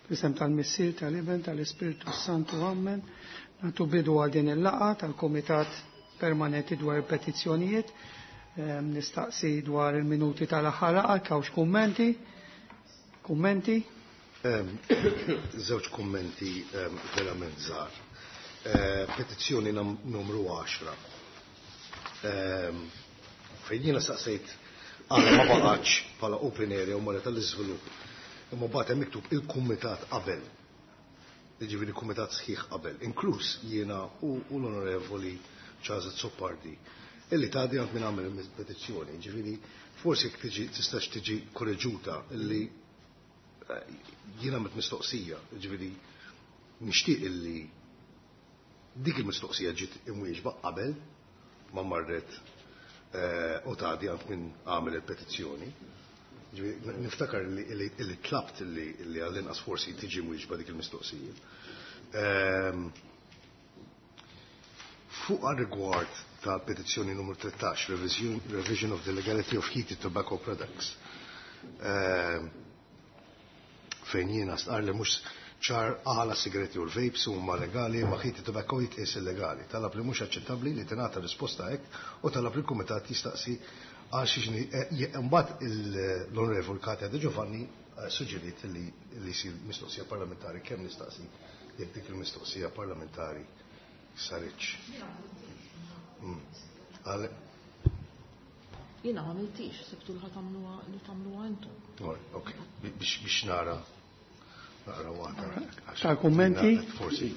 Fl-isem tal-Missier, tal-Iben, tal-Ispirtu Santu, Amen. Nagħtu bidu għal din il-laqgħa tal-Kumitat Permanenti dwar il-Petizzjonijiet. Ehm, nistaqsi dwar il-minuti tal-aħħar laqgħa, kawx kummenti? Kummenti? Ehm, żewġ kummenti ehm, verament żgħar. Eh, petizzjoni numru 10. Fejn jiena saqsejt għala ma baqgħetx bħala open area u marret għall-iżvilupp. Imma mbagħad hemm miktub il-kumitat qabel. Jiġifieri kumitat sħiħ qabel, inkluż jiena u l-Onorevoli Charles Azzopardi illi tgħaddi għand min għamel il-petizzjoni. Ġifieri forsi jekk tiġi tistax tiġi korreġuta illi eh, jiena għamilt mistoqsija, ġifieri nixtieq illi Dik il-mistoqsija ġiet imwieġba qabel ma marret eh, u tgħaddi għand min għamel il-petizzjoni. Niftakar li tlabt li għall-inqas forsi tiġi mwieġba dik il-mistoqsija. Ehm, fuq rigward ta' petizzjoni numru 13, revision of the legality of heated tobacco products. Ehm, fejn jiena stqarr li mhux ċar għala sigaretti u l-vapes huma legali imma heated tobacco jitqies illegali. Talab li mhux aċċettabbli li tingħata risposta hekk u talab li l-kumitat jistaqsi għal xiex eh, imbagħad l-Onorevol Katia De Giovanni eh, suġġeriet li li jsir mistoqsija parlamentari kemm nistaqsi jekk dik il-mistoqsija parlamentari saritx. Mm. Jiena m'għamiltix, sibtu li tagħmluha li tagħmluha intom. Ok, biex nara naqra waħda. Tal-kummenti? Forsi.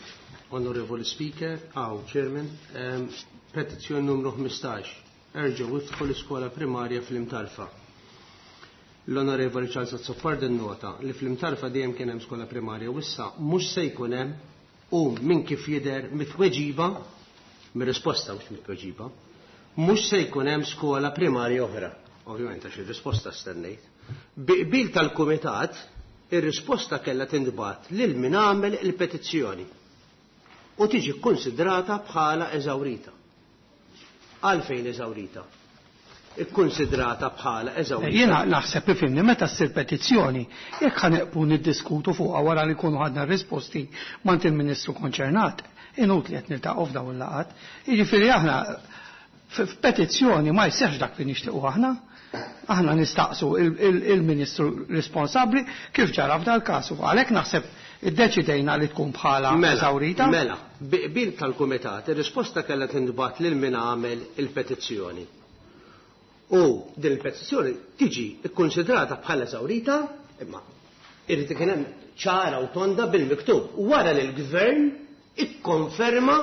Onorevoli Speaker, aw, Chairman, ehm, petizzjoni numru 15. Erġgħu iftħu l-iskola primarja fl-Imtarfa. L-Onorevoli Charles Azzopardi nnota li fl-Imtarfa dejjem kien hemm skola primarja u issa mhux se jkun hemm u minn kif jidher mit-tweġiba, mir-risposta mhux mit-tweġiba, mhux se jkun hemm skola primarja oħra. Ovvjament għax ir-risposta stennejt. Bi qbil tal-Kumitat, ir-risposta kellha tintbagħat lil min għamel il-petizzjoni u tiġi kkunsidrata bħala eżawrita. Għalfejn eżawrita? Ikkunsidrata bħala eżawrita. Jiena naħseb ifhimni meta ssir petizzjoni, jekk ħa neqpu niddiskutu fuqha wara li nkunu ħadna r-risposti m'għand il-Ministru konċernat, inutli qed niltaqgħu f'dawn il-laqgħat. Jiġifieri aħna f'petizzjoni ma jseħħx dak li nixtiequ aħna. Aħna nistaqsu il-Ministru responsabbli kif ġara f'dal-każ u għalhekk naħseb iddeċidejna li tkun bħala Mela, eżawrita. mela, bi qbil tal-Kumitat, ir-risposta kellha tintbagħat lil min għamel il-petizzjoni. U din il-petizzjoni tiġi kkunsidrata bħala eżawrita, imma irid ikun hemm ċara u tonda bil-miktub wara li l-Gvern ikkonferma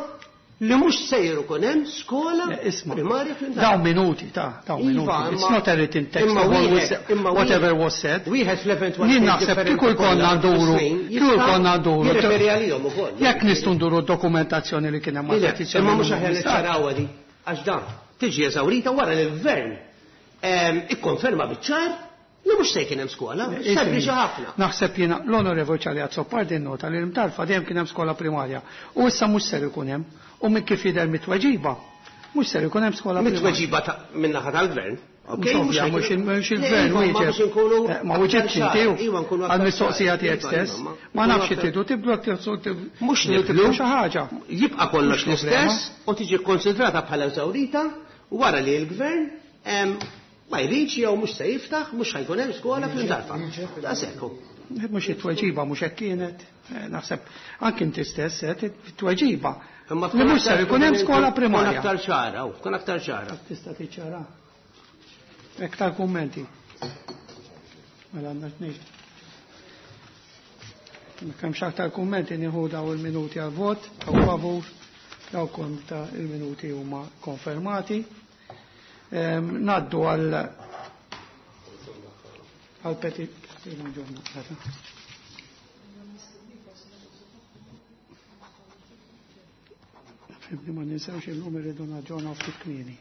li mhux sejjer ikun hemm skola primarja fl-Imtarfa. Dawn minuti, ta' dawn Iva, minuti. It's not a written text imma of all wieħed- imma whatever wieħed- was said. Wieħed fl-eventwalità Jien naħseb kieku jkollna nduru, kieku jkollna nduru. Jirreferi għalihom ukoll. Jekk nistgħu nduru d-dokumentazzjoni li kien hemm Le, mal-petizzjoni. Imma mhux aħjar niċċarawha di, għax dan tiġi eżawrita wara li l-gvern ehm, ikkonferma biċ-ċar li mhux se jkun hemm skola, sempliċi ħafna. Naħseb jiena l-Onorevoli Charlie Azzopardi nnota li l-Imtarfa dejjem kien hemm skola primarja u issa mhux ser ikun hemm u minn kif jidher mit-tweġiba mhux ser ikun hemm skola primarja. Mit-tweġiba min-naħa tal-gvern. Mhux ovvja, mhux il-gvern wieġeb. Eh, ma wieġebx inti Iva, għall-mistoqsija tiegħek Iva, stess. Ma nafx tridu tibdlu jekk Mhux tibdlu xi ħaġa. Jibqa' kollox l-istess u tiġi kkonsidrata bħala eżawrita wara li l-gvern ma jridx jew mhux se jiftaħ, mhux ħa jkun hemm skola fl-Imtarfa. Daqshekk hu. Mhux it-tweġiba mhux hekk kienet. Eh, naħseb anke inti stess eh, it-tweġiba. Li mhux ser ikun hemm skola primarja. Tkun aktar ċara, tkun aktar ċara. Tista' tiċċara. Iktar kummenti. Mela għandna tnejn. Kemm aktar kummenti nieħu daw il-minuti għal vot, daw favur, daw kontra il-minuti huma konfermati. Naddu għal għal peti Fimni ma ninsewx illum irridu naġġornaw ftit kmieni.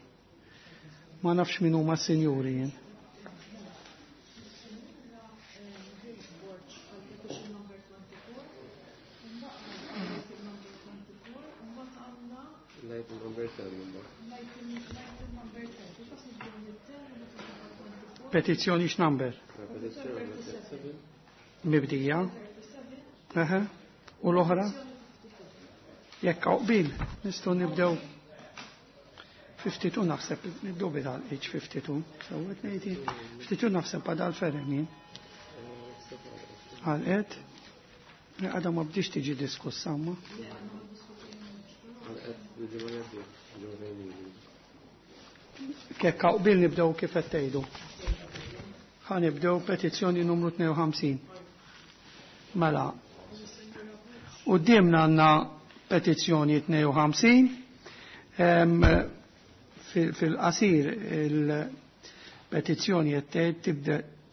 Ma nafx min huma s-sinjuri jien. Petizzjoni x'number? Mibdija. Eħe. U l-oħra? Jekk hawn qbil, nistgħu nibdew 52 naħseb, nibdew bidal H52, sewwet ngħid 52 naħseb għadha l-ferem jien. Għalqet, għadha ma bdiex tiġi diskussa ma. Kekk hawn qbil nibdew kif qed tgħidu. Ħa nibdew petizzjoni numru 52. Mela, quddiemna għandna petizzjoni 52. Fil-qasir il-petizzjoni qed tgħid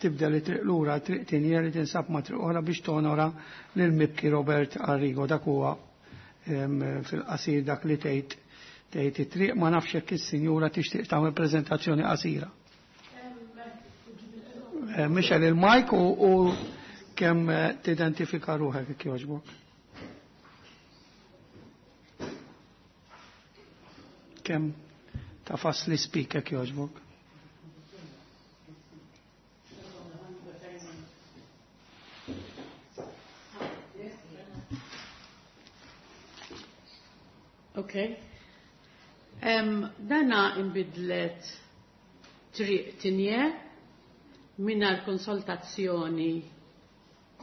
tibda li triq lura triq tinjer li tinsab ma' triq oħra biex tonora lil mibki Robert Arrigo. Dak huwa fil-qasir dak li tgħid tgħid it-triq. Ma nafx jekk is-sinjura tixtieq tagħmel preżentazzjoni qasira. Michel il-mike u kemm tidentifika ruħek jekk jogħġbok. Kemm tafas li speak jekk jogħġbok. Okay. Dana imbidlet triq tinje mingħajr konsultazzjoni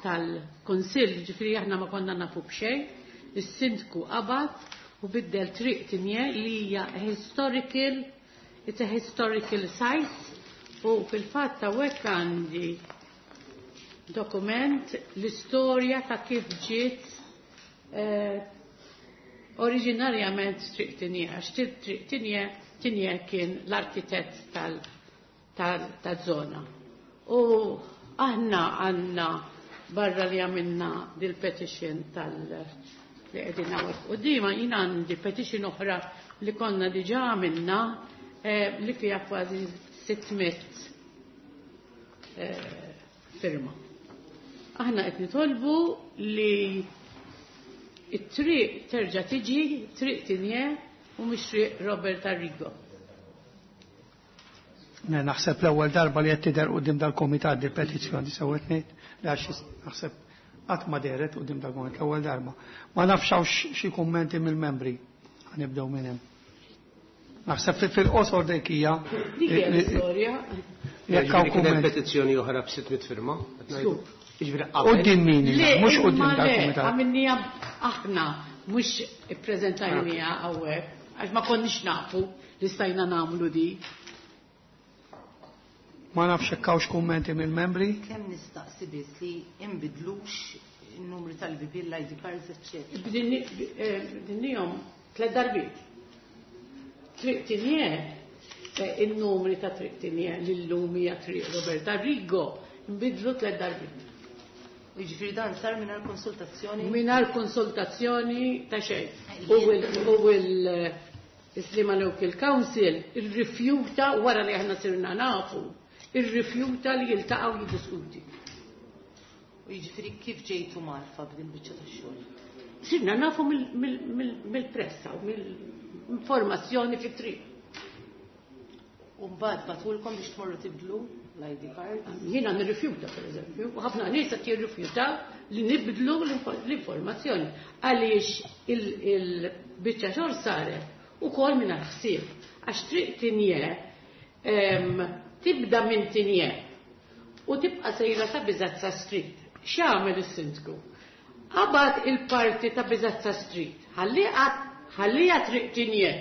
tal-Kunsill, ġifieri aħna ma konna nafu b'xejn, is-sindku qabad u biddel triq tinje li hija historical, it's a historical site, u fil-fatt hawnhekk għandi dokument l-istorja ta' kif ġiet oriġinarjament triq tinje, għax triq tinje kien l-arkitett tal-żona. U aħna għandna barra li għamilna dil-petition tal- li qegħdin hawnhekk quddiema, jien għandi petition oħra li konna diġà għamilna li fiha kważi 600 firma. Aħna qed nitolbu li it-triq terġa' tiġi triq Tinje u mhux triq Robert Arrigo. Ne, naħseb l-ewwel darba li qed tidher quddiem dal-kumitat di petizzjoni sewwet ngħid li għax naħseb qatt ma dehret quddiem dal-kumitat l-ewwel darba. Ma nafx hawn xi kummenti mill-membri. Ħanibdew minn hemm. Naħseb fil-qosor dik hija. Dik hija l-istorja. Jekk hawn Jiġifieri kien hemm kumment. petizzjoni oħra b'600 firma, qed ngħidu. Żgur. Jiġifieri qabel. Quddiem min hija? Le, Mhux quddiem imma le, dal-kumitat. għamilniha aħna, mhux ippreżentajniha hawnhekk, għax ma konniex nafu li stajna nagħmlu di. Ma nafx hekk hawnx kummenti mill-membri. Kemm nistaqsi biss li inbidlux in-numri tal-BP, l-ID cards, eċċetera. Bdinniehom 3 darbiet. Triq Tinje, in-numri ta' Triq Tinje li llum hija Triq Robert Arrigo, nbidlu 3 darbiet. Jiġifieri dan sar mingħajr konsultazzjoni? Mingħajr konsultazzjoni ta' xejn. U il-Sliema Local Council irrifjuta wara li aħna sirna nafu, irrifjuta li jiltaqgħu jiddiskuti. U jiġifieri kif ġejtu marfa b'din biċċa tax-xogħol? Sirna nafu mill-pressa u mill-informazzjoni fit-triq. U mbagħad batulkom biex tmorru tibdlu l-ID card? Jiena nirrifjuta, per eżempju, u ħafna nies qed jirrifjutaw li nibdlu l-informazzjoni għaliex il-biċċa xogħol saret ukoll mingħajr ħsieb. Għax triq Tinje tibda minn Tinje u tibqa' sejra ta' Biżazza Street. X'għamel is-sindku? Qabad il-parti ta' Biżazza Street, ħallija triq Tinje.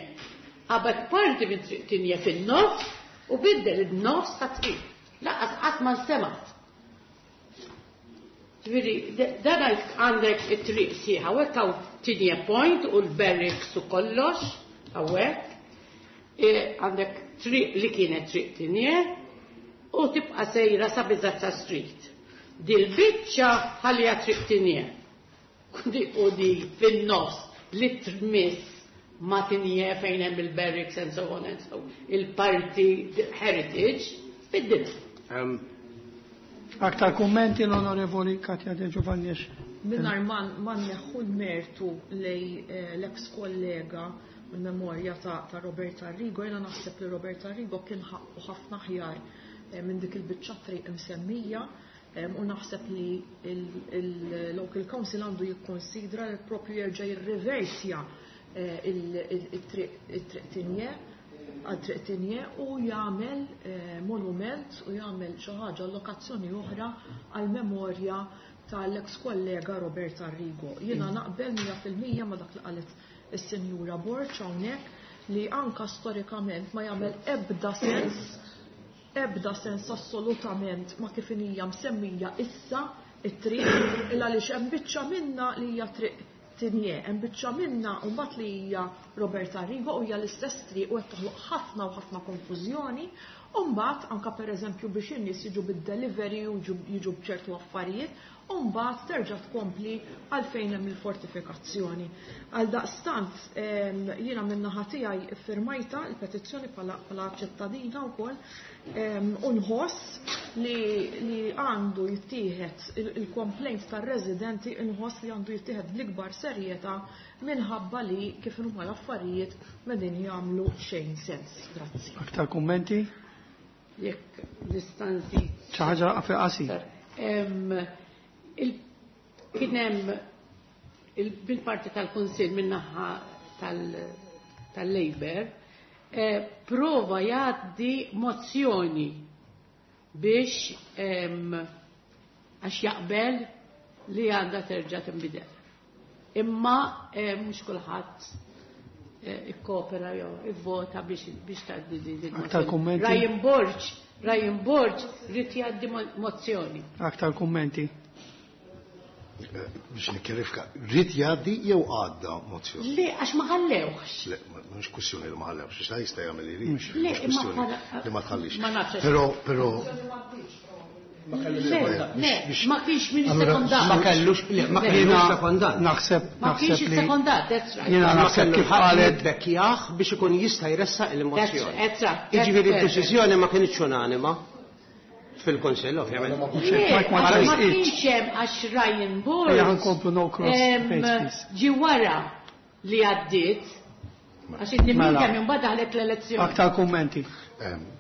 Qabad parti minn triq Tinje fin-nofs u biddel in-nofs ta' triq. Laqas qatt ma nsemat. Ġifieri, dan għandek it-triq sieħa, hawnhekk hawn Tinje Point u l-barracks u kollox, hawnhekk. Għandek triq li kienet triq Tinje u tibqa' sejra sa Biżazza Street. Dil-biċċa ħallija triq Tinje. U di fin-nofs li tmiss ma Tinje fejn hemm il-barracks and so on and so on. Il-parti heritage biddilha. Aktar kummenti l-Onorevoli Katja De Giovanni. Mingħajr ma nneħħu l-mertu lej l-ex kollega u l-memorja ta' Robert Arrigo, jiena naħseb li Robert Arrigo kien ħaqqu ħafna aħjar minn dik il-biċċa triq imsemmija. U naħseb li il-Local Council għandu jikkonsidra li propju jerġa' jirriversja il-triq Tinje għal triq Tinje u jagħmel monument u jagħmel xi ħaġa allokazzjoni oħra għal memorja tal-ex kollega Robert Arrigo. Jiena naqbel 100% ma dak li qalet is-Sinjura Borg hawnhekk li anka storikament ma jagħmel ebda sens ebda sens assolutament ma kif hija msemmija issa it-triq illa għaliex hemm biċċa minna li hija triq Tinje, hemm biċċa minna u mbagħad li hija Robert Arrigo u hija l-istess triq u qed toħloq ħafna u ħafna konfużjoni. U mbagħad anka pereżempju biex in-nies jiġu bid-delivery u jiġu b'ċertu affarijiet, u mbagħad terġa' tkompli għalfejn hemm il-fortifikazzjoni. Għal daqstant jiena min-naħa tiegħi iffirmajta l-petizzjoni bħala ċittadina wkoll u nħoss li għandu jittieħed il-complaint tar-residenti, nħoss li għandu jittieħed bl-ikbar serjetà minħabba li kif huma l-affarijiet m'qegħdin jagħmlu xejn sens. Grazzi. Aktar kummenti? Jekk nista' nżid. Xi ħaġa fil-qasir. Kien hemm bil-parti tal-Kunsill min-naħa tal-Labour prova jgħaddi mozzjoni biex għax jaqbel li għandha terġa' tinbidel. Imma mhux kulħadd ikkopera jew ivvota biex tgħaddi din il-mozzjoni. Aktar kummenti? Ryan Borg ried jgħaddi mozzjoni. Aktar kummenti? Biex nikkjarifika, ried jgħaddi jew għadda mozzjoni? Le, għax ma ħallewx. Le, mhux kwistjoni li ma ħallewx, għax jista' jagħmel li jrid. Le, Mhux kwistjoni li ma tħallix. Ma nafx. Però, però Le, le, ma kienx min sekondat. Ma kellux, le, ma kellux sekondat. Naħseb, Ma kienx naħseb li sekondat, that's right. Jiena naħseb kif qalet Bekkjaħ biex ikun jista' jressaq il-mozzjoni. That's right. Jiġifieri d-deċiżjoni ma kienx unanima fil-Kunsill, ovvjament. Le, ma għax ma tresqitx. kienx hemm għax Ryan Borg. Ejja nkomplu no cross page, please. Ġi wara li għaddiet, għax id Mela. kemm imbagħad daħlet l-elezzjoni. Aktar kummenti.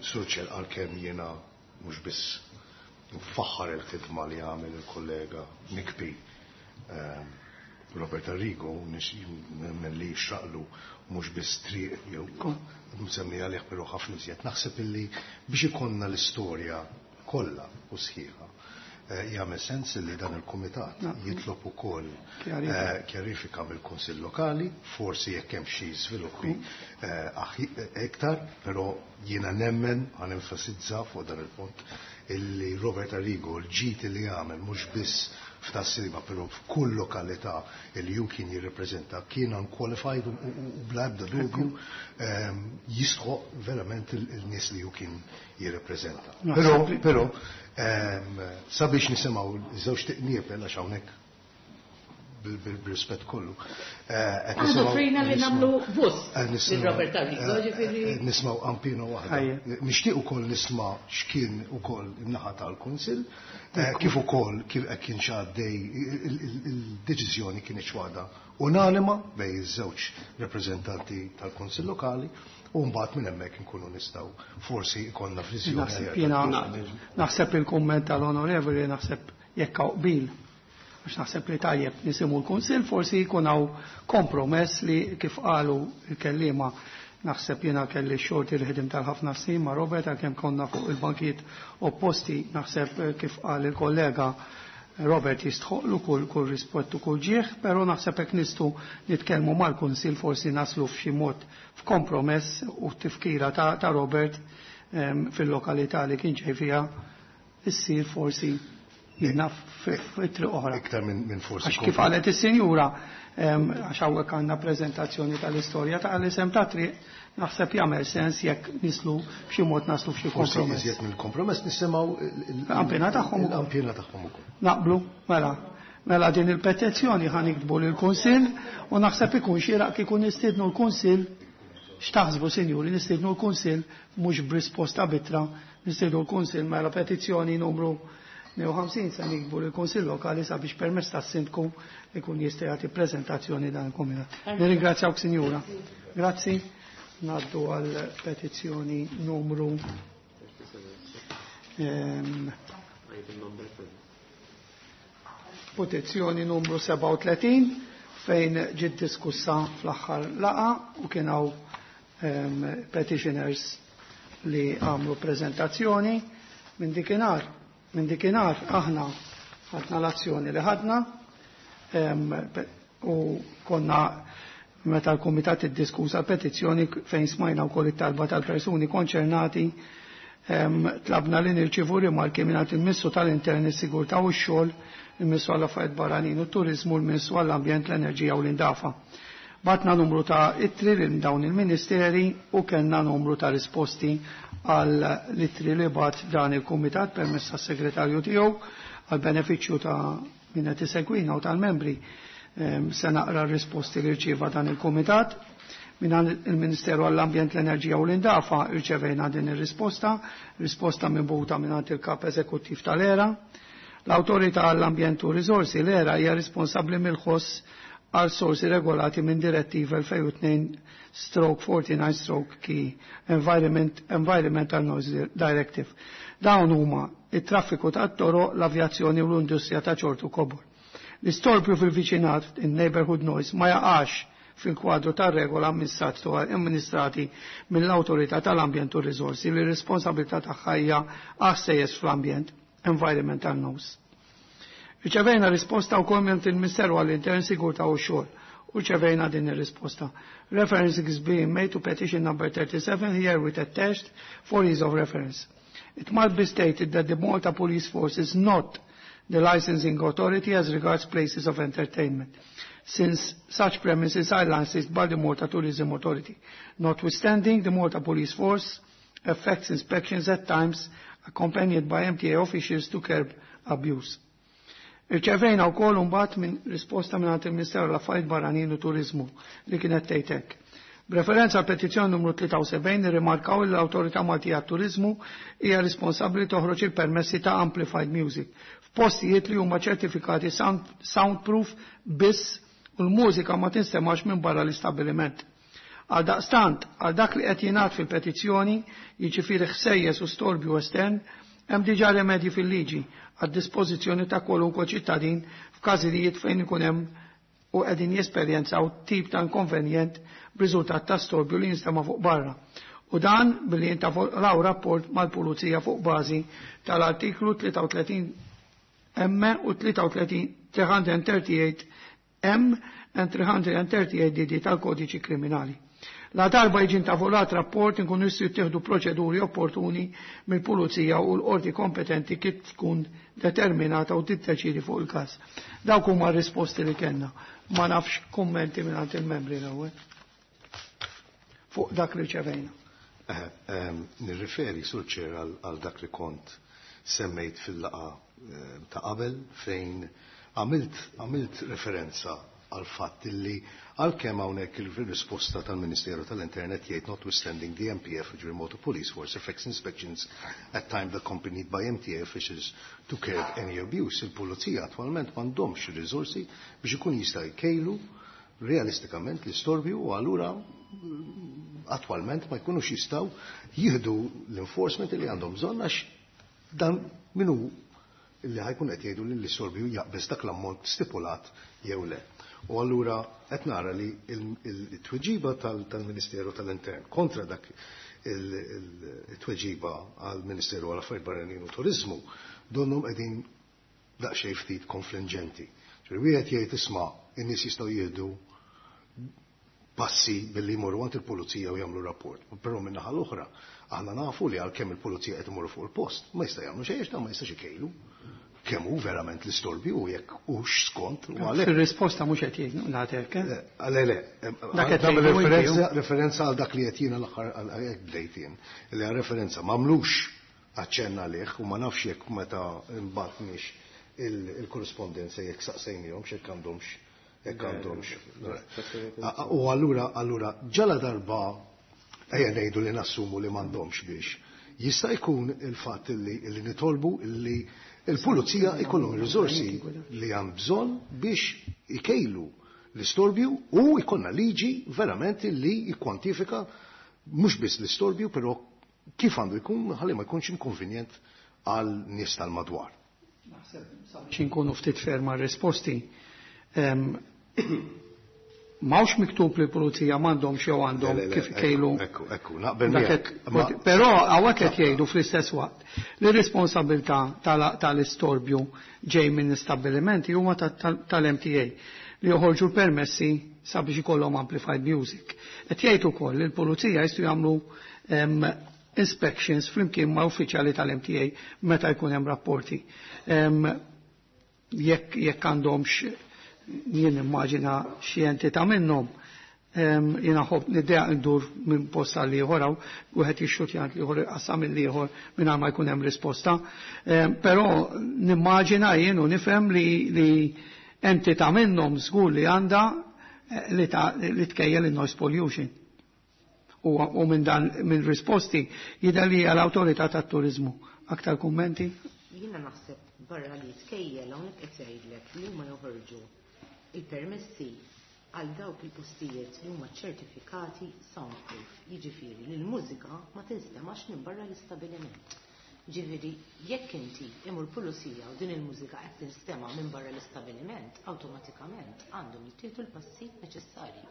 Sur Chair, għalkemm jiena mhux biss nfaħħar il-ħidma li għamel il-kollega Nikbi Robert Arrigo, nemmen li xraqlu mhux biss triq jew msemmi għalih però ħafna iżjed. Naħseb illi biex ikollna l-istorja kollha u sħiħa, jagħmel sens li dan il-kumitat jitlob ukoll kjarifika mill-Kunsill Lokali, forsi jekk hemm xi żviluppi iktar, però jiena nemmen għan enfasizza fuq dan il-punt illi Robert Arrigo l-ġid li għamel mhux biss f'Tas-Sliema però f'kull lokalità li ju kien jirrepreżenta kien unqualified u bla ebda dubju jistħoq verament il-nies li ju kien jirrepreżenta. Però, sabiex nisimgħu żewġ tiqniepel għax hawnhekk bil-rispett kollu. Qed Aħna nisimgħu offrejna li nisimgħu nagħmlu bus qed nisimgħu lil Robert Arrigo, ġifieri nismgħu ampino waħda. Ħajja. Nixtieq ukoll nisma' x'kien ukoll in-naħa tal-Kunsill, kif ukoll kif qed kien x'għaddej il-deċiżjoni kienet waħda unanima bejn iż-żewġ rappreżentanti tal-Kunsill Lokali u mbagħad minn hemmhekk inkunu nistgħu forsi jkollna viżjoni Naħseb aħjar jiena tal-Kunsill. naħseb il-kumment tal-onorevoli, naħseb jekk hawn qbil, għax naħseb li tajjeb nisimgħu l-Kunsill, forsi jkun hawn kompromess li kif qalu l-kelliema. Naħseb jiena kelli xorti li ħedim tal-ħafna snin ma' Robert, għalkemm konna fuq il-bankijiet opposti, naħseb kif qal il-kollega Robert jistħoqlu kull rispett u kull ġieħ, però naħseb hekk nistgħu nitkellmu mal-Kunsill forsi naslu f'xi mod f'kompromess u tifkira ta' Robert fil-lokalità li kien ġej fiha issir forsi jiena fit-triq oħra. Iktar minn forsi Għax kif qalet is-sinjura, għax hawnhekk għandna preżentazzjoni tal-istorja ta' l-isem ta' triq, naħseb jagħmel sens jekk nislu b'xi mod naslu f'xi Forsi kompromess. iżjed mill-kompromess nisimgħu L-ampjena tagħhom ukoll. l-ampjena tagħhom ukoll. Naqblu, mela. Mela din il-petizzjoni ħa niktbu lill-Kunsill u naħseb ikun xieraq kieku nistiednu l-Kunsill. X'taħsbu, sinjuri, nistiednu l-Kunsill mhux b'risposta bitra, nistiednu l-Kunsill mela petizzjoni numru 52 se nikbu lill-Kunsill Lokali sabiex permezz tas-Sindku ikun jista' jagħti preżentazzjoni dan il-Kumitat. Nirringrazzjawk, sinjura. Grazzi. Naddu għal petizzjoni numru Item number 7. Petizzjoni numru 37 fejn ġiet diskussa fl-aħħar laqgħa u kien hawn petitioners li għamlu prezentazzjoni. Minn dikinhar aħna ħadna l-azzjoni li ħadna u konna meta l-Kumitat iddiskussa petizzjoni fejn smajna wkoll it-talba tal-persuni konċernati, tlabna li nirċivu rimarki minn il-Ministru tal-Intern, is-Sigurtà u x-Xogħol, il-Ministru għall-Affarijiet Barranin u Turiżmu, il-Ministru għall-Ambjent, l-Enerġija u l-Indafa. Bgħatna numru ta' ittri lil dawn il-ministeri u kellna numru ta' risposti għal l-ittri li bagħat dan il-Kumitat permezz tas-segretarju tiegħu għal benefiċċju ta' min qed isegwina u tal-membri. Se naqra r-risposti li rċieva dan il-Kumitat. Minn il-Ministeru għall-Ambjent, l-Enerġija u l-Indafa irċevejna din ir-risposta, risposta mibgħuta minn il-kap eżekuttiv tal-ERA. L-Awtorità għall-Ambjent u Risorsi, l-ERA, hija responsabbli mill-ħoss għal sorsi regolati minn Direttiva 2002/49/KE, Environmental Noise Directive. Dawn huma it-traffiku tat-toroq, l-avjazzjoni u l-industrija ta' ċertu kobor. L-istorbju fil-viċinat, in-neighborhood noise, ma jaqax fil-kwadru tar regola amministrati mill-Awtorità tal-Ambjent u Risorsi li responsabilità tagħha hija ħsejjes fl-ambjent, environmental noise. Riċevejna risposta wkoll minn il-Ministeru għall-Intern, Sigurtà u Xogħol u rċevejna din ir-risposta. Reference is being made to petition number 37 here with attached for ease of reference. It must be stated that the Malta Police Force is not the licensing authority as regards places of entertainment, since such premises are licensed by the Malta Tourism Authority. Notwithstanding, the Malta Police Force effects inspections at times accompanied by MTA officials to curb abuse. Irċevejna wkoll mbagħad minn risposta minn il-Ministeru l-Affarijiet Barranin u Turiżmu li kienet tgħid hekk. B'referenza għal petizzjoni numru 73, nirrimarkaw li l-Awtorità Maltija Turiżmu hija responsabbli toħroġ il-permessi ta' amplified music f'postijiet li huma ċertifikati soundproof biss u l-mużika ma tinstemax minn barra l-istabbiliment. Għal daqstant, għal dak li qed jingħad fil-petizzjoni, jiġifieri ħsejjes u storbju estern, hemm diġà remedji fil-liġi għad dispożizzjoni ta' kwalunkwe ċittadin f'każijiet fejn ikun hemm u qegħdin jesperjenzaw tip ta' inkonvenjent b'riżultat ta' storbju li jinstema' fuq barra. U dan billi jintavolaw rapport mal-Pulizija fuq bażi tal-artiklu 33 M u 33 338 M and 338 DD tal-Kodiċi Kriminali. La darba jiġi intavolat rapport, inkun jistgħu jittieħdu proċeduri opportuni mill-pulizija u l-qorti kompetenti kif tkun determinata u tiddeċidi fuq il-każ. Dawk huma r-risposti li kellna. Ma nafx kummenti minn il-membri l-ewwel fuq dak li rċevejna. Nirriferi, Sur Chair, għal dak li kont semmejt fil-laqgħa ta' qabel fejn għamilt referenza għal fatt li għalkemm hawnhekk il-risposta tal-Ministeru tal-Intern jgħid "notwithstanding, the MPF", ġifieri Malta Police Force, "effects inspections at times accompanied by MTA officials to curb any abuse". Il-pulizija attwalment m'għandhomx ir-riżorsi biex ikun jista' jkejlu realistikament l-istorbju u allura attwalment ma jkunux jistgħu jieħdu l-enforcement li għandhom bżonn, għax dan minu illi ħa jkun qed jgħidu li l-istorbju jaqbeż dak l-ammont stipulat jew le. U allura qed nara li il-tweġiba tal-Ministeru tal-Intern kontra dak il-tweġiba għal-Ministeru għal-Affarijiet Barranin u Turizmu donnhom qegħdin daqsxejn ftit konfliġġenti. Ġifieri wieħed jgħid, isma', in-nies jistgħu jieħdu passi billi jmorru għand il-pulizija u jagħmlu rapport. Però minn naħa l-oħra, aħna nafu li għalkemm il-pulizija qed imorru fuq il-post, ma jista' jagħmlu xejn, ma jistax ikejlu kemm hu verament l-istorbju u jekk hux skont u għalhekk. Fir-risposta mhux qed jgħid nagħtek, eh? Le, le, Dak qed nagħmel tgħidu inti, referenza għal dak li qed jiena l-aħħar għal hekk bdejt jien. Li għal referenza m'għamlux aċċenna għalih u ma nafx jekk meta mbagħadniex il-korrespondenza jekk saqsejnihom jekk għandhomx. U allura ġala darba ejja ngħidu li nassumu li m'għandhomx biex. Jista' jkun il-fatt li nitolbu li il-pulizija jkollhom ir-riżorsi li hemm bżonn biex ikejlu l-istorbju u jkollna liġi verament li jikkwantifika mhux biss l-istorbju, però kif għandu jkun ħalli ma jkunx inkonvenjent għal nies tal-madwar. Naħseb sabiex inkunu ftit ferma risposti. M'hawnx miktub li l-pulizija m'għandhomx jew għandhom Le, le, le, kif ekku, ikejlu. Ekku, ekku, naqbel Dak miegħek. Però hawnhekk qed jgħidu fl-istess waqt li r-responsabilità tal-istorbju ġej minn istabbilimenti huma tal-MTA li joħorġu l-permessi sabiex ikollhom amplified music. Qed jgħid ukoll li l-pulizija jistgħu jagħmlu inspections flimkien ma' uffiċjali tal-MTA meta jkun hemm rapporti. Jekk għandhomx jien immaġina xi entità minnhom, jiena ħobb niddeja ndur minn post għal ieħor hawn, wieħed jixxutja għand l-ieħor iqassam mill-ieħor mingħajr ma jkun hemm risposta. Però nimmaġina jien u nifhem li entità minnhom żgur li għandha li tkejjel in-noise pollution. U minn dan minn risposti jidher li hija l-awtorità tat-turiżmu. Aktar kummenti? Jiena naħseb barra li tkejjel hawnhekk qed jgħidlek li huma joħorġu il-permessi għal dawk il-postijiet li huma ċertifikati soundproof, jiġifieri li l-mużika ma tinstemax minn barra l-istabiliment. Ġifieri jekk inti imur pulizija u din il-mużika qed tinstema' minn barra l-istabiliment, awtomatikament għandhom jittieħdu l-passi neċessarji.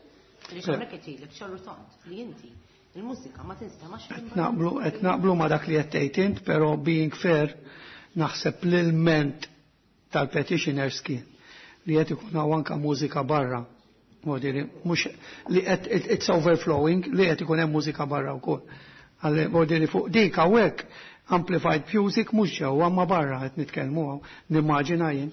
Għaliex hawnhekk qed jgħidlek ċar u tond li inti il-mużika ma tinstemax minn barra. Qed naqblu ma dak li qed tgħid int, però being fair naħseb l-ilment tal-petitioners kien li qed ikun hawn anke mużika barra. Modiri, mhux li qed it's overflowing, li qed ikun hemm mużika barra wkoll. Għalli modiri fuq dik hawnhekk amplified music mhux ġewwa ma barra qed nitkellmu hawn, nimmaġina jien.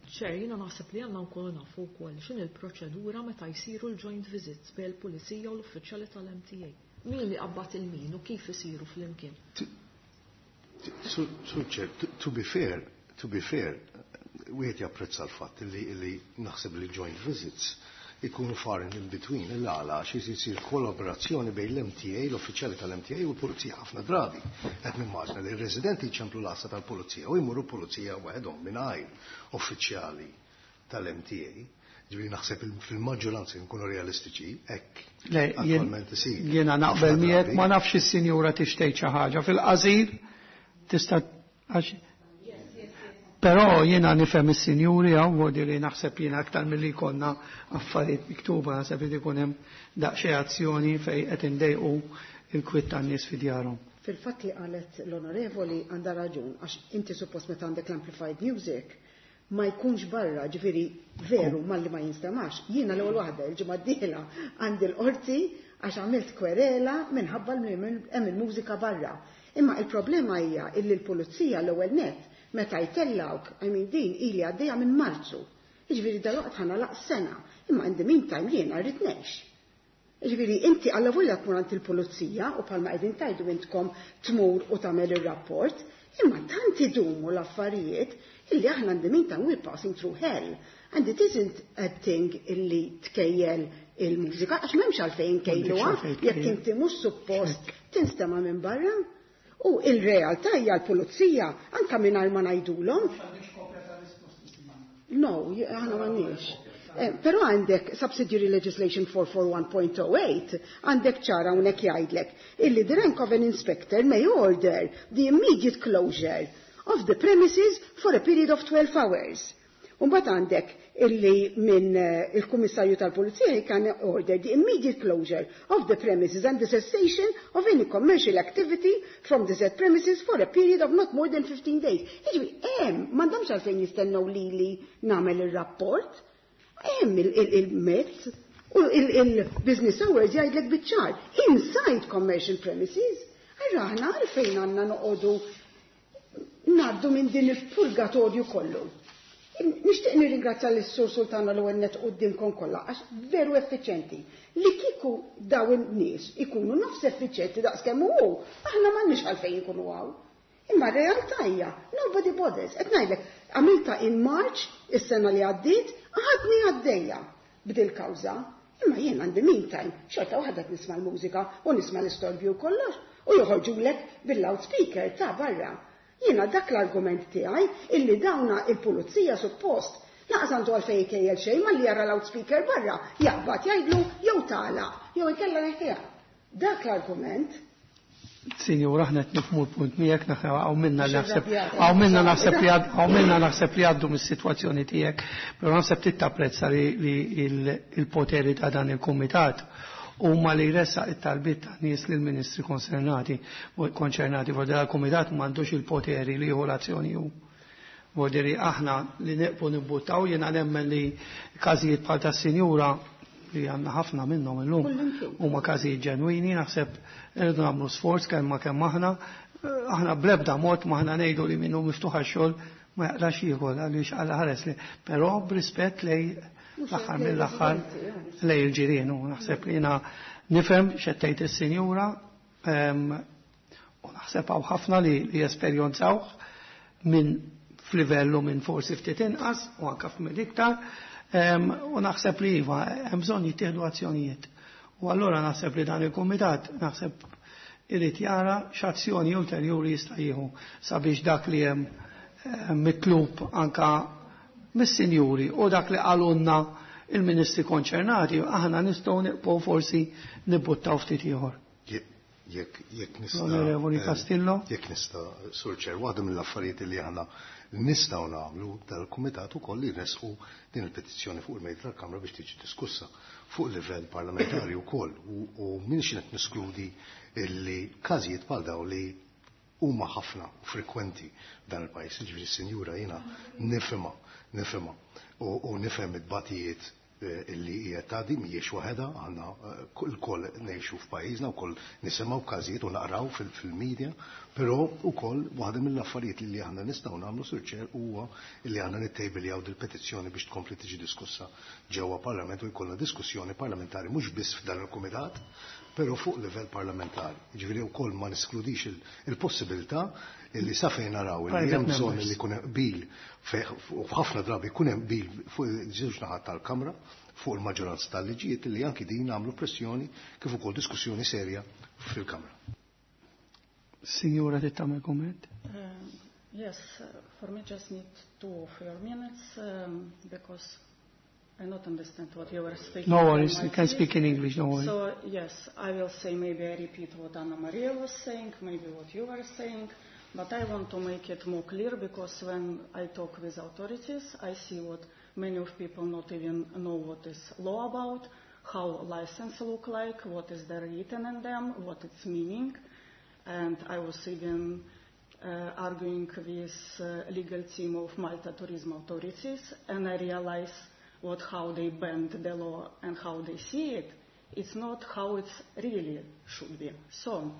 Chair, jiena naħseb li għandna nkunu nafu wkoll x'inhi l-proċedura meta jsiru l-joint visits bejn il-pulizija u l-uffiċjali tal-MTA. Min li qabad il-min u kif isiru flimkien? Sur Chair, to be fair, wieħed japprezza l-fatt li naħseb li joint visits ikunu far and in between, il-għala għax isir kollaborazzjoni bejn l-MTA, l-uffiċjali tal-MTA u l-pulizija ħafna drabi. Qed nimmaġna li r-residenti jċemplu l-għassa tal-pulizija u jmurru pulizija waħedhom mingħajr uffiċjali tal-MTA. Ġifieri naħseb fil-maġġoranza nkunu realistiċi, hekk Le, attualment isir. jiena naqbel Ħafna miegħek, drabi. ma nafx is-sinjura tixtejt xi ħaġa fil-qasir tista' għax Però jiena nifhem is-sinjuri hawn vuol li naħseb jiena aktar milli jkollna affarijiet miktuba, naħseb li jkun hemm daqsxejn azzjoni fejn qed indejqu il-kwiet tan-nies fi djarhom. Fil-fatt li qalet l-onorevoli għandha raġun, għax inti suppost meta għandek l-amplified music ma jkunx barra, ġifieri veru malli ma jinstemax. Jiena l-ewwel waħda il-ġimgħa d-dieħla għandi l-qorti għax għamilt kwerela minħabba li hemm il-mużika barra. Imma il-problema hija illi l-pulizija l-ewwel net meta jtellawk, din ili għaddejja minn Marzu. Jiġifieri dalwaqt ħa nagħlaq sena, imma in the meantime jiena rrid ngħix. Jiġifieri inti alla volja tmur għand il-pulizija u bħalma qegħdin tgħidu intkom tmur u tagħmel ir-rapport, imma tant idumu l-affarijiet illi aħna in the meantime we're passing through hell. And it isn't a thing illi tkejjel il-mużika, għax m'hemmx għalfejn kejluha, M'hemmx għalfejn jekk tkejjel. inti mhux suppost tinstema' minn barra. U il-realtà hija l-pulizija anke mingħajr ma ngħidulhom. No, aħna m'għandniex. Però għandek Subsidiary Legislation 441.08, għandek ċara hawnhekk jgħidlek illi the rank of an inspector may order the immediate closure of the premises for a period of 12 hours. Umbagħad għandek illi minn il-Kummissarju tal-Pulizija can order the immediate closure of the premises and the cessation of any commercial activity from the said premises for a period of not more than 15 days. Jiġifieri, hemm, m'għandhomx għalfejn jistennew lili nagħmel ir-rapport. Hemm il-mezz u il-business hours jgħidlek biċ-ċar inside commercial premises. Allura aħna għalfejn għandna noqogħdu ngħaddu minn din il-purgatorju kollu. Nixtieq nirringrazzja lis-Sur Sultana l-ewwel nett qudiemkom kollha għax veru effiċjenti. Li kieku daw in-nies ikunu nofs effiċjenti daqskemm hu, aħna m'għandniex għalfejn ikunu hawn. Imma r-realtà hija nobody bothers. Qed ngħidlek, għamilta in March is-sena li għaddiet, għadni għaddejja b'dil kawża. Imma jien għandi meantime, xorta waħda qed nisma' l-mużika u nisma' l-istorbju kollox u joħorġulek bil-loudspeaker ta' barra. Jiena dak l-argument tiegħi illi dawna il-pulizija suppost laqas għandu għalfejn jkejjel xejn malli jara loudspeaker barra, jaqbad jgħidlu jew tagħlaq jew inkella neħħiha. Dak l-argument. Sinjura, aħna qed nifhmu l-punt miegħek, naħna hawn minna li naħseb hawn minna naħseb li hawn minna naħseb li għaddu mis-sitwazzjoni tiegħek, però naħseb titapprezza li il-poteri ta' dan il-kumitat huma li jressaq it-talbiet ta' nies lill-ministri konċernati, konċernati, vordi l-kumitat m'għandux il-poteri li jieħu l-azzjoni hu. Vordi aħna li neqpu nibbuttaw, jiena nemmen li każijiet bħal tas-sinjura li għandna ħafna minnhom illum huma każijiet ġenwini, naħseb irridu nagħmlu sforz kemm ma kemm aħna, aħna bl-ebda mod ma aħna ngħidu li minnu miftuħ għax-xogħol ma jaqlax ieħor għaliex għal ħares li, però b'rispett lej l-aħħar mill-aħħar lej il-ġirien, u naħseb li jiena nifhem x'qed tgħid is-sinjura, u naħseb hawn ħafna li jesperjenzawh minn f'livellu minn forsi ftit inqas u anke f'minn iktar, u naħseb li iva hemm bżonn jittieħdu azzjonijiet. U allura naħseb li dan il-kumitat naħseb irid jara x'azzjoni ulterjuri jista' jieħu sabiex dak li hemm mitlub anka mis-sinjuri u dak li qalulna il-ministri konċernati, aħna nistgħu nieqfu forsi nibbuttaw ftit ieħor. Jekk nista' Onorevoli Castillo. Jekk nista', Sur Chair, waħda mill-affarijiet li aħna nistgħu nagħmlu dal-kumitat ukoll li nresqu din il-petizzjoni fuq il-mejda tal-Kamra biex tiġi diskussa fuq livell parlamentari wkoll, u minx qed niskludi illi każijiet bħal dawn li huma ħafna u frekwenti f'dan il-pajjiż. Jiġifieri s-sinjura jiena nifhimha u nifhem it-tbatijiet illi hija tgħaddi, mhijiex waħedha, aħna lkoll ngħixu f'pajjiżna wkoll nisimgħu każijiet u naqraw fil-media, però wkoll waħda mill-affarijiet li aħna nistgħu nagħmlu, Sur Chair, huwa li aħna nittejbiljaw dil-petizzjoni biex tkompli tiġi diskussa ġewwa Parlament u jkollna diskussjoni parlamentari mhux biss f'dan il-kumitat, però fuq livell parlamentari. Jiġifieri wkoll ma neskludix il-possibilità illi sa fejn naraw illi hemm bżonn li jkun hemm qbil, u ħafna drabi jkun hemm qbil fuq iż-żewġ naħat tal-Kamra fuq il-maġġoranza tal-liġijiet, illi anki din nagħmlu pressjoni kif ukoll diskussjoni serja fil-Kamra. Signora, trid tagħmel kumment? Yes, for me just need 2 of your minutes, because I not understand what you were speaking. No worries, you can speak in English, don't worry. So, yes, I will say maybe I repeat what Anna Maria was saying, maybe what you were saying, but I want to make it more clear because when I talk with authorities, I see what many of people not even know what is law about, how license look like, what is there written in them, what its meaning. And I was even arguing with legal team of Malta Tourism Authorities, and I realized how they bend the law and how they see it. It's not how it really should be. So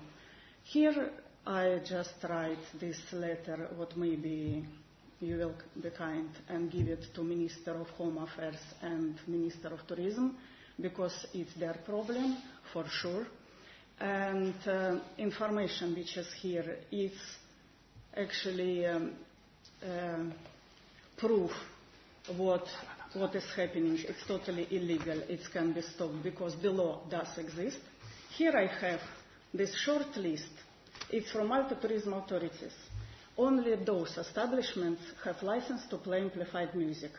here I just write this letter, what maybe you will be kind and give it to Minister of Home Affairs and Minister of Tourism, because it's their problem for sure. And information which is here is actually proof what is happening. It's totally illegal. It can be stopped because the law does exist. Here I have this short list. It's from Malta Tourism Authorities. Only those establishments have license to play amplified music.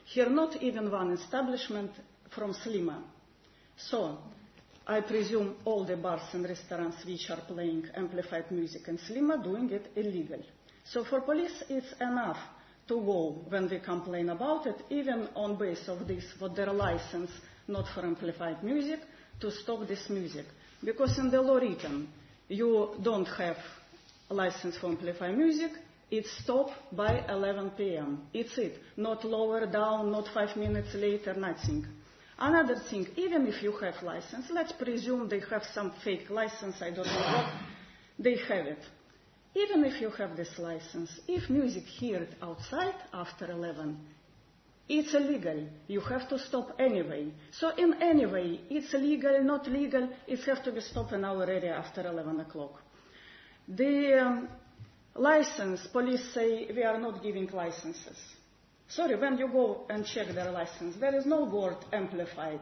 Here not even one establishment from Sliema. So I presume all the bars and restaurants which are playing amplified music in Sliema doing it illegal. So for police it's enough to go when we complain about it, even on base of this, what their license, not for amplified music, to stop this music. Because in the law written, you don't have a license for amplified music, it's stopped by 11 p.m. It's it. Not lower down, not 5 minutes later, nothing. Another thing, even if you have license, let's presume they have some fake license, I don't know what, they have it. Even if you have this license, if music heard outside after 11, it's illegal. You have to stop anyway. So in any way, it's legal, not legal, it has to be stopped in our area after 11 o'clock. The license, police say we are not giving licenses. Sorry, when you go and check their license, there is no word amplified.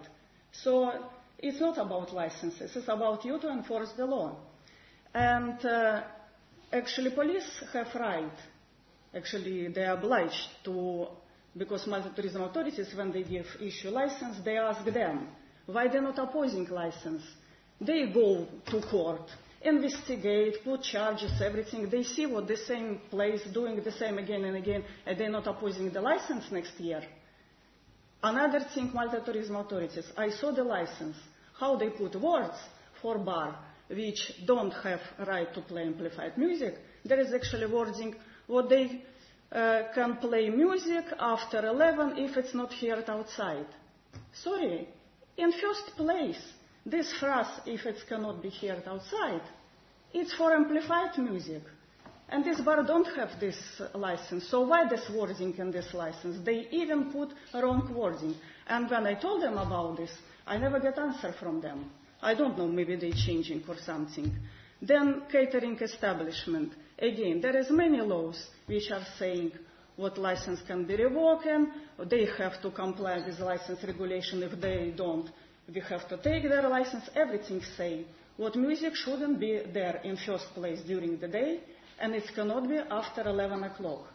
So it's not about licenses, it's about you to enforce the law. And actually police have right, actually they are obliged to, because Malta Tourism Authorities, when they give issue license, they ask them, why they're not opposing license? They go to court Investigate, put charges, everything. They see what the same place doing the same again and again, and they're not opposing the license next year. Another thing, Malta Tourism authorities, I saw the license, how they put words for bar which don't have right to play amplified music. There is actually wording what they can play music after 11 if it's not heard outside. Sorry, in first place, this phrase, if it cannot be heard outside, it's for amplified music. And this bar don't have this license, so why this wording in this license? They even put wrong wording. And when I told them about this, I never get answer from them. I don't know, maybe they changing or something. Then catering establishment. Again, there is many laws which are saying what license can be revoked, they have to comply with license regulation. If they don't, we have to take their license. Everything say what music shouldn't be there in first place during the day, and it cannot be after 11 o'clock.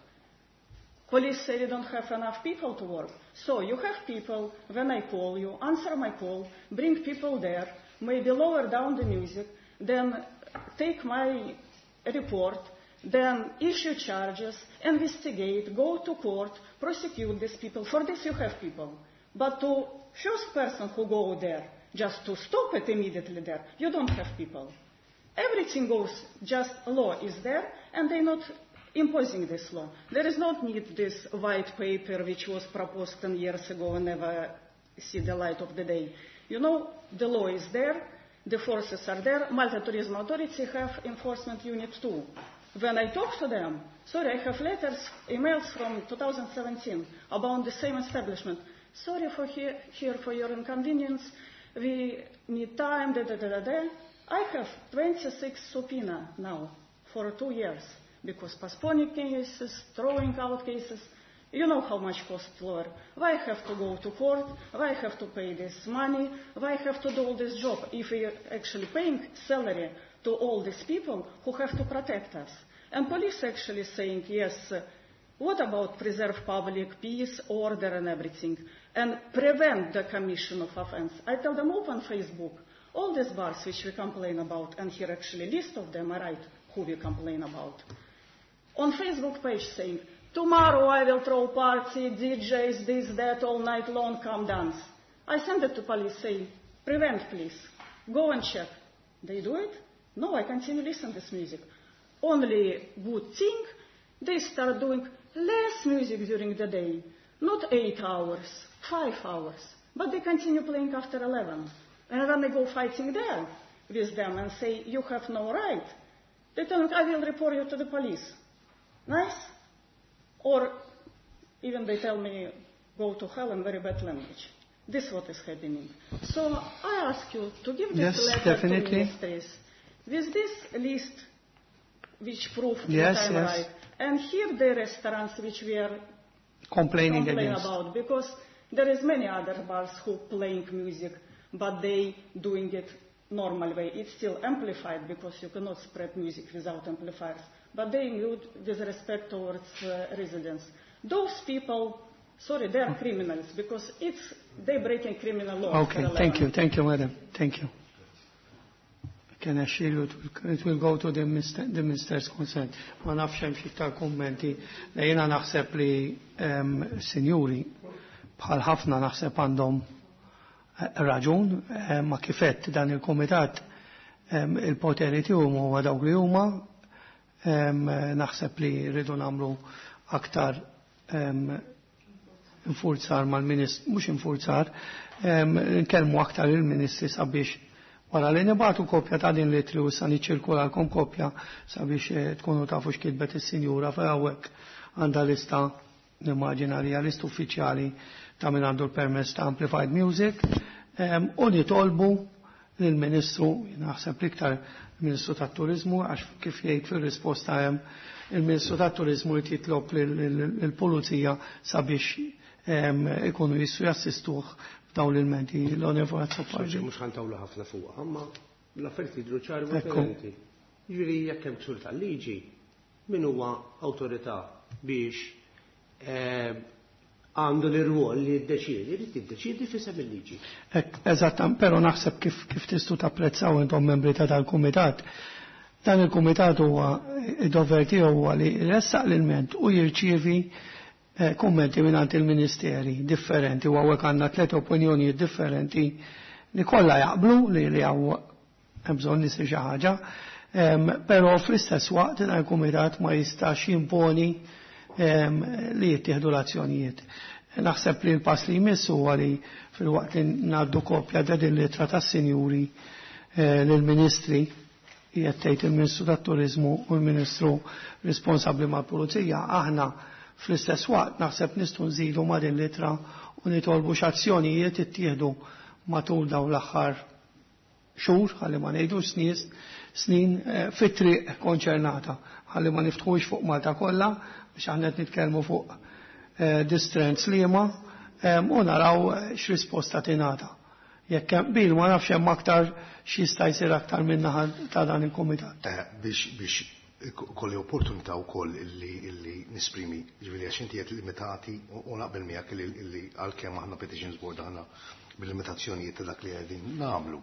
Police say we don't have enough people to work. So you have people, when I call you, answer my call, bring people there, maybe lower down the music, then take my report, then issue charges, investigate, go to court, prosecute these people. For this you have people. But to first person who go there, just to stop it immediately there, you don't have people. Everything goes, just law is there, and they're not imposing this law. There is not need this white paper which was proposed 10 years ago and never see the light of the day. You know, the law is there, the forces are there. Malta Tourism Authority have enforcement unit too. When I talk to them, sorry, I have letters, emails from 2017 about the same establishment. Sorry for here for your inconvenience. We need time, da da da da da. I have 26 subpoena now for 2 years because postponing cases, throwing out cases. You know how much cost lawyer. Why I have to go to court? Why I have to pay this money? Why I have to do all this job if we are actually paying salary to all these people who have to protect us? And police actually saying, yes, what about preserve public peace, order and everything, and prevent the commission of offense? I tell them open Facebook, all these bars which we complain about, and here actually list of them, I write who we complain about. On Facebook page saying, tomorrow I will throw party, DJs, this, that, all night long, come dance. I send it to police, say, prevent please, go and check. They do it? No, I continue listen to this music. Only good thing, they start doing less music during the day. Not 8 hours, 5 hours. But they continue playing after 11. And when they go fighting there with them and say, you have no right, they tell me, I will report you to the police. Nice? Or even they tell me, go to hell in very bad language. This is what is happening. So I ask you to give this letter to ministries with this list which prove that I'm right. And here the restaurants which we are complaining about, because there is many other bars who playing music, but they doing it normal way. It's still amplified because you cannot spread music without amplifiers. But they include with respect towards residents. Those people, sorry, they are criminals because it's they breaking criminal law. Okay, thank you, madam. Thank you. I can assure you it will go to the minister's consent. Ma nafx hemm xi iktar kummenti. Jiena naħseb li sinjuri bħal ħafna naħseb għandhom raġun, ma kifett dan il-kumitat il-poteri tiegħu huwa dawk li huma, naħseb li rridu nagħmlu aktar infurzar mal-ministru, mhux infurzar, nkellmu aktar il-ministri sabiex wara li nibatu kopja ta' din l-ittri u issa niċċirkulalkom kopja sabiex tkunu tafu x'kitbet is-sinjura hawnhekk għandha lista, nimmaġina li hija lista uffiċjali ta' min għandu l-permess ta' Amplified Music, u nitolbu lill-Ministru, naħseb l-iktar il-Ministru tat-Turiżmu, għax kif jgħid fir-risposta hemm il-Ministru tat-Turiżmu li jitlob lill-Pulizija sabiex ikunu jistgħu jassistuh f'dawn l-ilmenti. L-Onorevole Azzopardi. Mhux ħantawlu ħafna fuqha, imma l-affarijiet jidhru ċari u differenti. Jiġifieri jekk hemm ksur tal-liġi, min huwa awtorità biex għandu l-irwol li jiddeċiedi, jrid jiddeċiedi f'isem il-liġi. Eżatt, però naħseb kif tistgħu tapprezzaw intom membri ta' dal-kumitat. Dan il-kumitat huwa id-dover tiegħu huwa li jressaq l-ilment u jirċievi kummenti mingħand il-ministeri differenti u hawnhekk għandna tliet opinjonijiet differenti li kollha jaqblu li hawn hemm bżonn isir xi ħaġa, però fl-istess waqt dan il-kumitat ma jistax jimponi li jittieħdu l-azzjonijiet. Naħseb li l-pass li jmiss huwa li filwaqt li ngħaddu kopja ta' din l-ittra tas-sinjuri lill-ministri, qiegħed tgħid il-Ministru tat-Turiżmu u l-Ministru responsabbli mal-Pulizija, aħna fl-istess waqt naħseb nistgħu nżidu ma' din l-ittra u nitolbu x'azzjonijiet ittieħdu matul dawn l-aħħar xhur, ħalli ma ngħidux snin fit-triq konċernata, ħalli ma niftħux fuq Malta kollha biex aħna qed nitkellmu fuq distrett Sliema u naraw x'risposta tingħata. Jekk hemm qbil ma nafx hemm aktar x'jista' jsir aktar min-naħa ta' dan il-kumitat. Biex kolli opportunità wkoll illi nisprimi, ġifieri għax inti qed limitati u naqbel miegħek illi għalkemm aħna Petitions Board aħna bil-limitazzjonijiet ta' dak li qegħdin nagħmlu.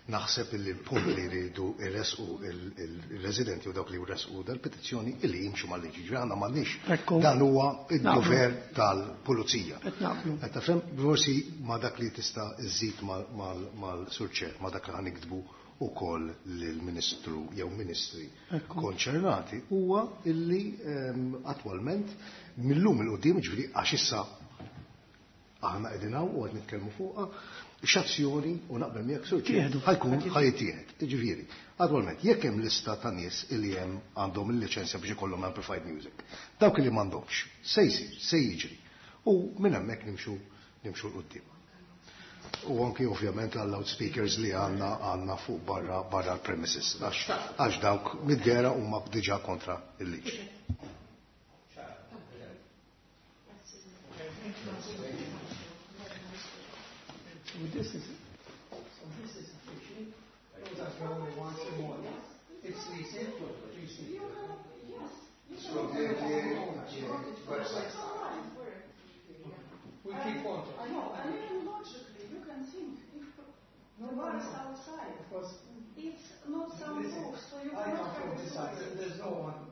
Naħseb illi l-punt li jridu jressqu il-residenti u dawk li jressqu dal-petizzjoni illi jimxu mal-liġi. Ġifieri aħna m'għandniex. Dan huwa id-dover tal-pulizija. Qed tafhem forsi ma' dak li tista' żżid mal-Sur Chair, ma' dak li ħa niktbu ukoll lill-Ministru jew Ministri konċernati huwa illi attwalment millum il-qudiem, ġifieri għax issa aħna qegħdin hawn u qed nitkellmu fuqha, x'azzjoni u naqbel miegħek Sur Chair ħajkun ħajtieħed. Ġifieri, attwalment jekk hemm lista ta' nies illi hemm għandhom il-liċenzja biex ikollhom amplified music, dawk li m'għandhomx, se jsir, se jiġri. U minn hemmhekk nimxu 'l quddiem. U anki ovvjament għal loudspeakers li għandna fuq barra l-premises, għax dawk mid-dera huma diġà kontra il-liġi. This is so this is official. Those are the only ones in Malta. It's recent. Recent. So the website. We keep on. I know, and even logically, you can think if the bar is outside, Of course, it's not soundproof, so you I cannot come from have the south. There's no one.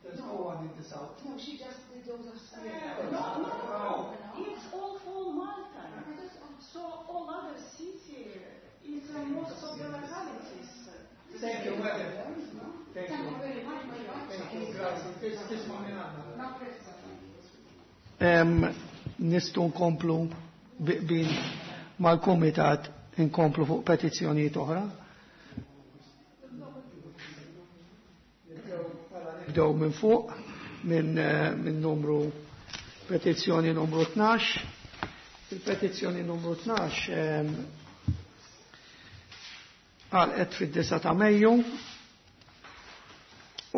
There's no one in the south. No, she just did those upstairs. No. It's all for Malta. So all other city is most of the localities. Thank you, madam. Thank you. Thank you. Grazie. Tisma' minn għandna. Nistgħu nkomplu bi qbil mal-kumitat nkomplu fuq petizzjonijiet oħra. Nibdew minn fuq minn numru petizzjoni numru 12. Il-petizzjoni numru 12 għalqet fid-9 ta' Mejju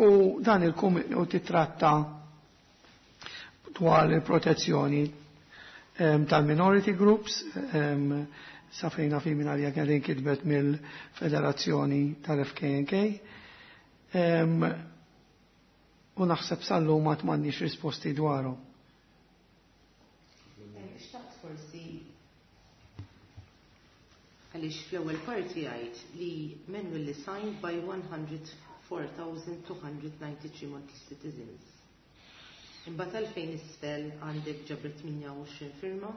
u dan il-kumitat u titratta dwar il-protezzjoni tal-minority groups, sa fejna fi minn għalija kien kitbet mill-Federazzjoni tal-FKNK. U naħseb sal-lum ma m'għandniex risposti dwaru. Xtaqt forsi għaliex fl-ewwel parti għidt li manually signed by 104,293 Maltese citizens. Imbagħad għalfejn isfel għandek ġabret 28 firma,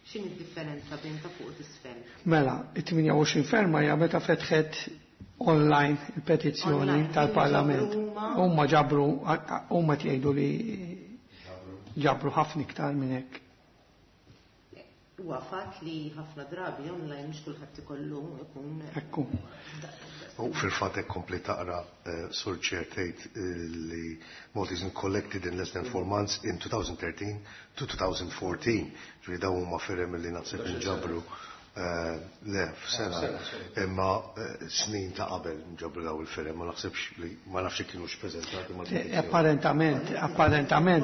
x'inhi d-differenza bejn ta' fuq u t'isfel? Mela, it-28 firma hija meta fetħet online il-petizzjoni Online, tal-Parlament. ġabru huma? Huma ġabru, huma tgħidu li ġabru ħafna iktar minn hekk. Huwa fatt li ħafna drabi online mhux kulħadd ikollu ikun Ekku. U fil-fatt hekk kompli taqra, Sur Chair, tgħid li Maltese collected in less than 4 months in 2013 to 2014. Ġifieri dawn huma firem li naħseb inġabru le f'sena, imma snin ta' qabel nġabru daw il-firem, ma naħsibx li ma nafx kienux preżentati ma' Apparentament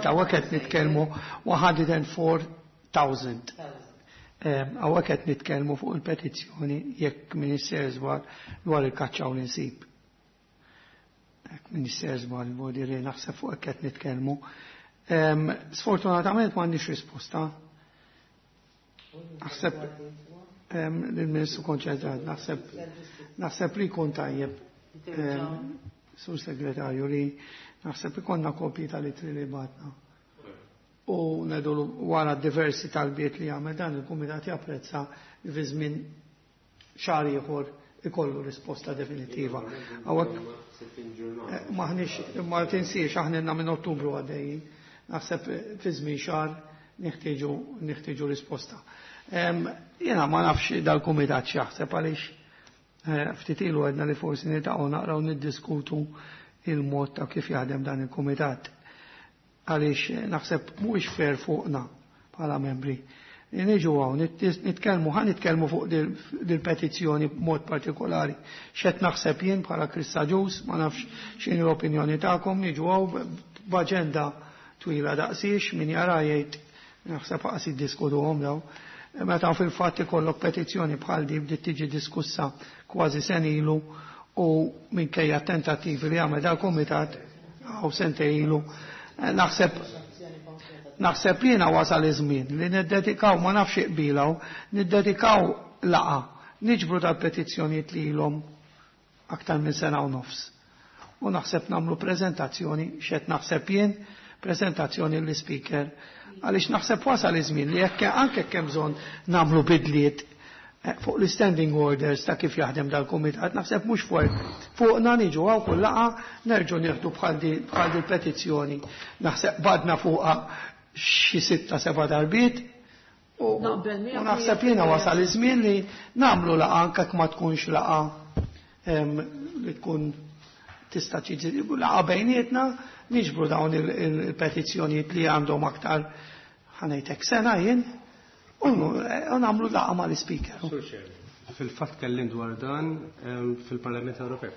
hawnhekk qed nitkellmu 104,000. Hawnhekk qed nitkellmu fuq il-petizzjoni jekk Minister żbar dwar il-kaċċa u l-insib. Jekk Minister żbar, voldiri naħseb fuq hekk qed nitkellmu. Sfortunatament m'għandniex risposta. Naħseb lill-Ministru konċentrat, naħseb li jkun tajjeb, Sur Segretarju, li naħseb ikollna kopji tal-ittri li bagħatna. U ngħidulu wara diversi talbiet li għamel dan il-kumitat japprezza li fi żmien xahar ieħor ikollu risposta definitiva. Hawnhekk maħniex, ma tinsiex aħna minn Ottubru għaddejjin. Naħseb fi żmien xahar neħtieġu risposta. Jiena ma nafx dal-kumitat x'jaħseb għaliex ftit ilu għedna li forsi niltaqgħu naqraw niddiskutu il-mod ta' kif jaħdem dan il-kumitat. Għaliex naħseb mhuwiex fair fuqna bħala membri. Niġu hawn nitkellmu, ħa nitkellmu fuq dil-petizzjoni b'mod partikolari. X'qed naħseb jien bħala Chris Agius, ma nafx x'inhi l-opinjoni tagħkom, niġu hawn b'aġenda twila daqsiex, min jara jgħid naħseb qas jiddiskutuhom daw. Meta fil-fatt ikollok petizzjoni bħal di bdiet tiġi diskussa kważi sen ilu u minkejja tentattivi li għamel dal-kumitat għaw sentejn ilu, naħseb jiena wasal iż-żmien li niddedikaw, ma nafx iqbilaw, niddedikaw laqa, niġbru tal-petizzjonijiet li ilhom aktar minn sena u nofs. U naħseb nagħmlu preżentazzjoni, x'qed naħseb jien, prezentazzjoni l-speaker, għaliex naħseb wasal iż-żmien li jekk anke kemm bżonn nagħmlu bidliet fuq l-standing orders ta' kif jaħdem dal-kumitat, naħseb mhux fuqna niġu hawn kull laqa nerġgħu nieħdu bħal di petizzjoni. Naħseb badna fuqha xi 6-7 darbiet u naħseb jiena wasal iż-żmien li nagħmlu laqa anke ma tkunx laqa li tkun tista' tiġi laqa bejnietna, niġbru dawn il-petizzjonijiet li għandhom aktar ħanejtek sena jien u nagħmlu laqa mal-ispeaker. Fil-fatt kellim dwar dan fil-Parlament Ewropew.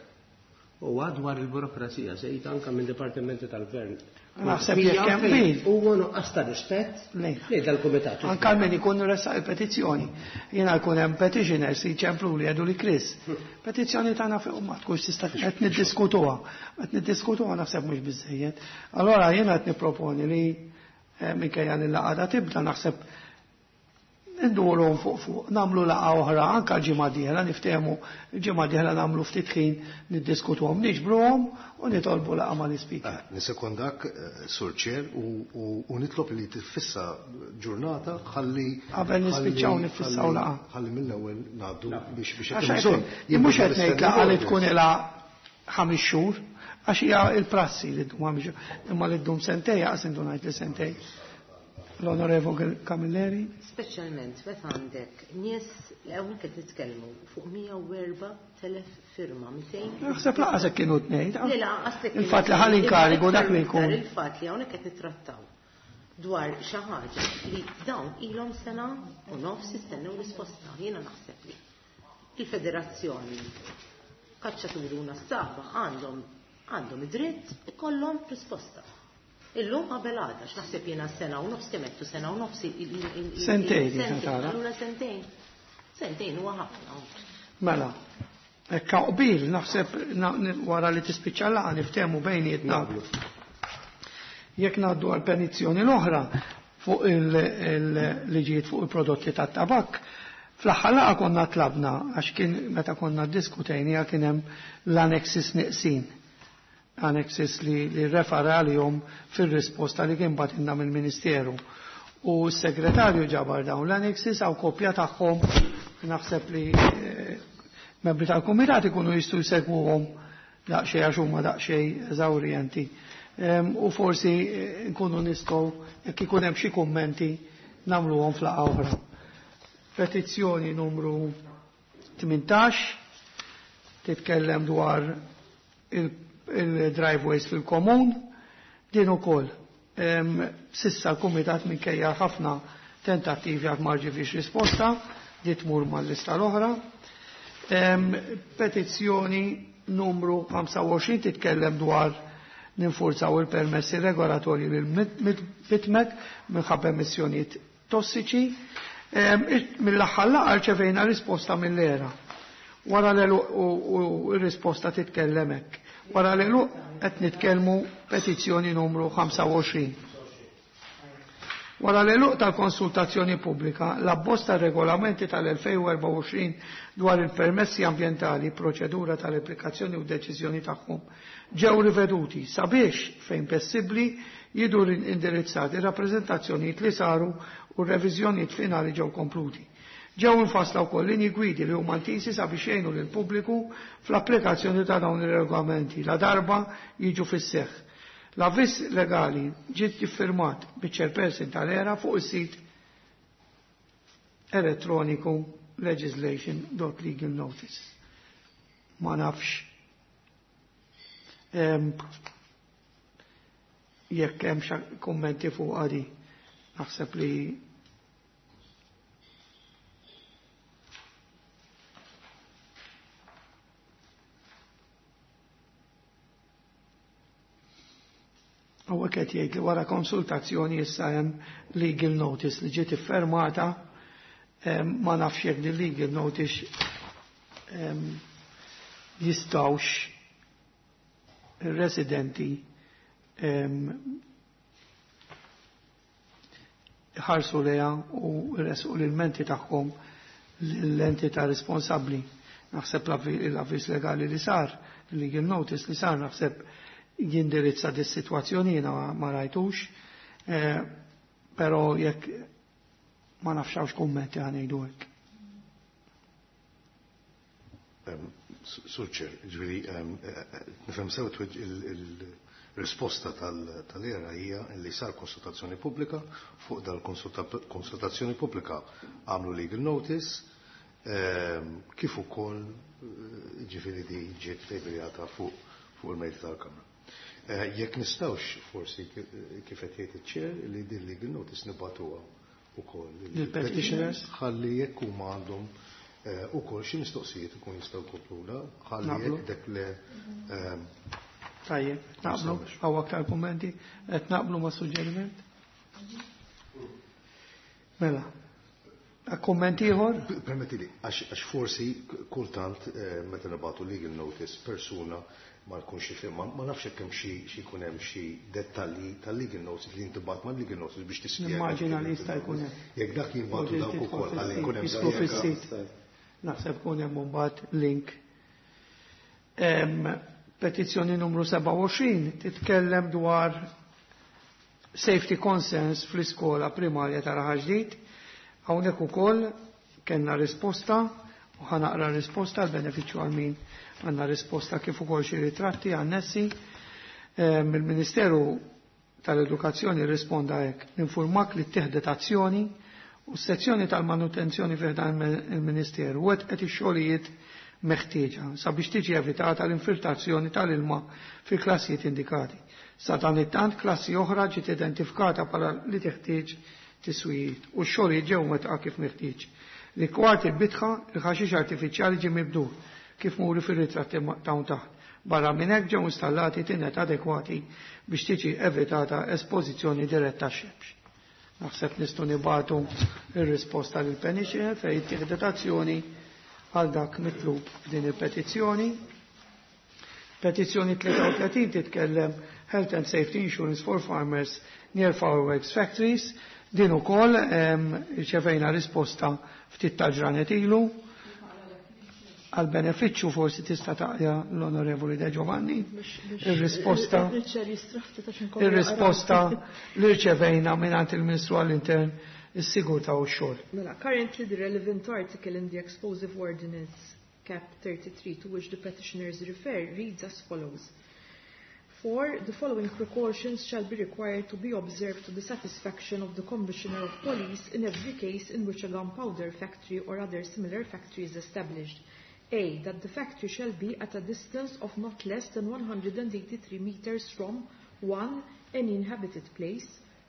U dwar il-burokrazija sejt anka minn dipartimenti tal-gvern. Naħseb jekk hemm qbil. Huwa nuqqas ta' rispett lejn dal-kumitat. Anka min ikun ressaq il-petizzjoni. Jiena jkun hemm petitioners li jċemplu li jgħidu li Chris. Petizzjoni tagħna fuq ma tkunx tista' qed niddiskutuha. Qed niddiskutuha naħseb mhux biżejjed. Allora jiena qed nipproponi li minkejja li l-laqgħa tibda naħseb ndurhom fuq nagħmlu laqgħa oħra anke l-ġimgħa dieħla niftehmu l-ġimgħa dieħla nagħmlu ftit ħin niddiskutuhom, niġbruhom u nitolbu laqgħa mal-ispeaker. Nisekondak, Sur Chair, u nitlob li tifissa ġurnata ħalli qabel nispiċċaw nifissaw laqgħa. Ħalli mill-ewwel ngħaddu biex biex mhux qed ngħid laqgħa li tkun ilha 5 xhur, għax hija l-prassi li ddum 5 xhur, imma li ddum sentej aqas intu ngħid li sentej. L-Onorevole Camilleri. Speċjalment meta għandek nies li hawnhekk qed nitkellmu fuq 104,000 firma, 200. Naħseb laqas hekk kienu tnejn. Le laqas hekk. Il-fatt li ħal inkarigu dak li jkun. Il-fatt li hawnhekk qed nittrattaw dwar xi ħaġa li dawn ilhom sena u nofs jistennew risposta. Jiena naħseb li il-Federazzjoni Kaċċaturi u Nassaba għandhom id-dritt ikollhom risposta. Illum qabel għada, x'naħseb jiena sena u nofs kemm qed sena u nofs. Sentejn, allura sentejn. Sentejn huwa ħafna. Mela, hekk qbil naħseb wara li tispiċċa laqgħa niftehmu bejnietna. Jekk ngħaddu għal petizzjoni l-oħra fuq il-liġijiet fuq il-prodotti tat-tabakk, fl-aħħar laqgħa konna tlabna għax kien meta konna ddiskutejniha kien hemm l-annexes neqsin. Annexes li refera għalihom fir-risposta li kien batinna mill-Ministeru. U s-segretarju ġabar dawn l-annexes għaw kopja tagħhom, naħseb li membri tal-kumitat ikunu jistgħu jsegwuhom daqsxejn għax huma daqsxejn eżawrjenti. U forsi nkunu nistgħu jekk ikun hemm xi kummenti nagħmluhom f'laqgħa oħra. Petizzjoni numru 18 titkellem dwar il-driveways fil-komun, din ukoll. Sissa l-kumitat minkejja ħafna tentattivi għad ma rċeviex risposta, di tmur mal-lista l-oħra. Petizzjoni numru 25 titkellem dwar ninfurzaw il-permessi regolatorji lil-Bitmek minħabba emissjonijiet tossiċi. Mill-aħħar laqgħa rċevejna risposta mill-ERA. Wara l-għeluq u r-risposta titkellem hekk. Wara l-għeluq qed nitkellmu petizzjoni numru 25. Wara l-għeluq tal-konsultazzjoni pubblika, l-abbozz tar-regolamenti tal-2024 dwar il-permessi ambjentali, proċedura tal-applikazzjoni u deċiżjoni tagħhom ġew riveduti sabiex fejn possibbli jiġu indirizzati rappreżentazzjonijiet li saru u r-reviżjonijiet finali ġew kompluti. Ġew infassla wkoll linji gwidi li huma ntisi sabiex jgħinu lill-pubbliku fl-applikazzjoni ta' dawn ir-regolamenti la darba jiġu fis-seħħ. L-avviż legali ġiet iffirmat biċ-chairperson tal-ERA fuq is-sit elettroniku legislation.legal notice. Ma nafx jekk hemm xi kummenti fuq għadi. Naħseb li Hawnhekk qed jgħid li wara konsultazzjoni issa hemm legal notice li ġiet iffermata, ma nafx jekk din legal notice jistgħux ir-residenti ħarsu leha u resqu l-menti tagħhom l-entità responsabbli. Naħseb l-avviż legali li sar, legal notice li sar, naħseb jindirizza dis situazzjoni jiena ma rajtux, però jekk ma nafx hawnx kummenti ħa ngħidu hekk. Sur Chair, ġifieri, nifhem sew il-risposta tal-ERA hija li sar konsultazzjoni pubblika, fuq dal-konsultazzjoni pubblika għamlu legal notice, kif ukoll ġifieri di ġiet tabljata fuq il-mejda tal-Kamra. Jekk nistgħux forsi kif qed jgħid iċ-chair li din legal notice nibagħtuha ukoll lill-petitioners ħalli jekk huma għandhom ukoll xi mistoqsijiet ikun jistgħu jkopluna ħalli jekk dak le. Tajjeb, naqblu, hawn aktar kummenti, qed naqblu ma' suġġeriment? Mela. Kumment ieħor? Permettili, għax forsi kultant meta nibagħtu legal notice persuna ma jkunx jifhem, ma nafx jekk hemm xi jkun hemm xi dettalji tal-legal notice li jintibgħat mal-legal notice biex tispjega. Nimmaġina li jista' jkun hemm. Jekk dak jinbagħtu dawk ukoll ħalli jkun hemm Jislu fis-sit. Naħseb kun hemm mbagħad link. Petizzjoni numru 27 titkellem dwar safety concerns fl-iskola primarja ta' Raħal Ġdid. Hawnhekk ukoll kellna risposta u ħa naqra risposta għal benefiċċju għal min għandna risposta kif ukoll xi ritratti annessi. Il-Ministeru tal-Edukazzjoni risponda hekk: Ninfurmak li ttieħdet azzjoni u s-sezzjoni tal-manutenzjoni fih dan il-Ministeru wettqet ix-xogħlijiet meħtieġa sabiex tiġi evitata l-infiltrazzjoni tal-ilma fil-klassijiet indikati. Sa dan it-tant klassi oħra ġiet identifikata bħala li teħtieġ tiswijiet u x-xogħlijiet ġew mwettqa kif meħtieġ. Rigward il-bitħa, il-ħaxix artifiċjali ġie mibdul kif muri fir-ritratti hawn taħt. Barra minn hekk ġew installati tinet adekwati biex tiġi evitata espożizzjoni diretta għax-xemx. Naħseb nistgħu nibagħtu ir-risposta lil petitioner fejn ittieħdet azzjoni għal dak mitlub f'din il-petizzjoni. Petizzjoni 33 titkellem Health and Safety Insurance for Farmers near Fireworks Factories. Din ukoll irċevejna risposta ftit ta' ġranet ilu. Għal benefiċċju forsi tista' taqja l-Onorevoli De Giovanni. Ir-risposta ir-risposta li rċevejna mingħand il-Ministru għall-Intern, is-Sigurtà u x-Xogħol. Mela, currently the relevant article in the Explosive Ordinance Cap 33 to which the petitioners refer reads as follows. 4. The following precautions shall be required to be observed to the satisfaction of the Commissioner of Police in every case in which a gunpowder factory or other similar factory is established. A. That the factory shall be at a distance of not less than 183 meters from 1. Any inhabited place,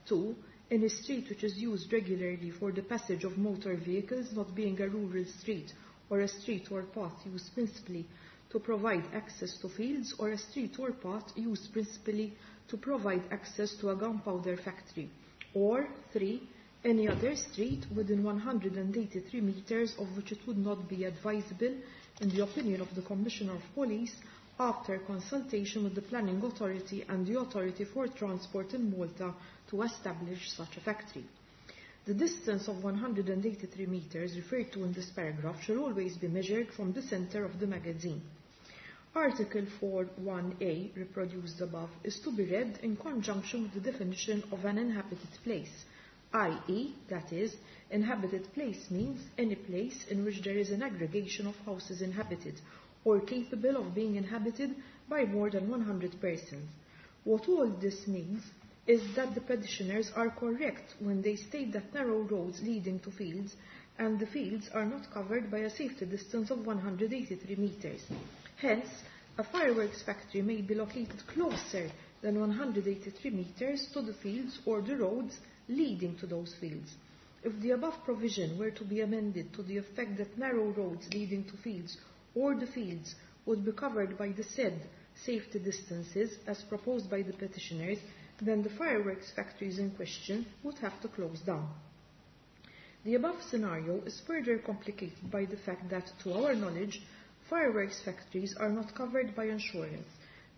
2. Any street which is used regularly for the passage of motor vehicles, not being a rural street or a street or path used principally to provide access to fields, or a street or path used principally to provide access to a gunpowder factory, or 3. Any other street within 183 meters of which it would not be advisable, in the opinion of the Commissioner of Police, after consultation with the Planning Authority and the Authority for Transport in Malta, to establish such a factory. The distance of 183 meters referred to in this paragraph shall always be measured from the center of the magazine. Article 4.1a, reproduced above, is to be read in conjunction with the definition of an inhabited place, i.e., that is, inhabited place means any place in which there is an aggregation of houses inhabited or capable of being inhabited by more than 100 persons. What all this means is that the petitioners are correct when they state that narrow roads leading to fields and the fields are not covered by a safety distance of 183 meters. Hence, a fireworks factory may be located closer than 183 meters to the fields or the roads leading to those fields. If the above provision were to be amended to the effect that narrow roads leading to fields or the fields would be covered by the said safety distances as proposed by the petitioners, then the fireworks factories in question would have to close down. The above scenario is further complicated by the fact that, to our knowledge, fireworks factories are not covered by insurance.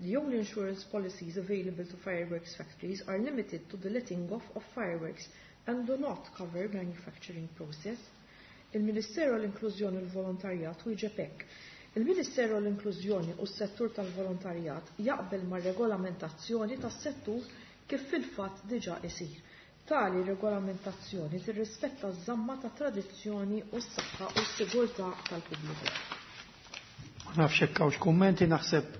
The only insurance policies available to fireworks factories are limited to the letting off of fireworks and do not cover manufacturing process. Il-Ministeru għall-Inklużjoni u l-Volontarjat wieġeb hekk. Il-Ministeru għall-Inklużjoni u s-settur tal-volontarjat jaqbel mar-regolamentazzjoni tas-settur kif fil-fatt diġà isir. Tali regolamentazzjoni tirrispetta ż-żamma ta' tradizzjoni u s-saħħa u s-sigurtà tal-pubbliku. Ma nafx hekk hawnx kummenti, naħseb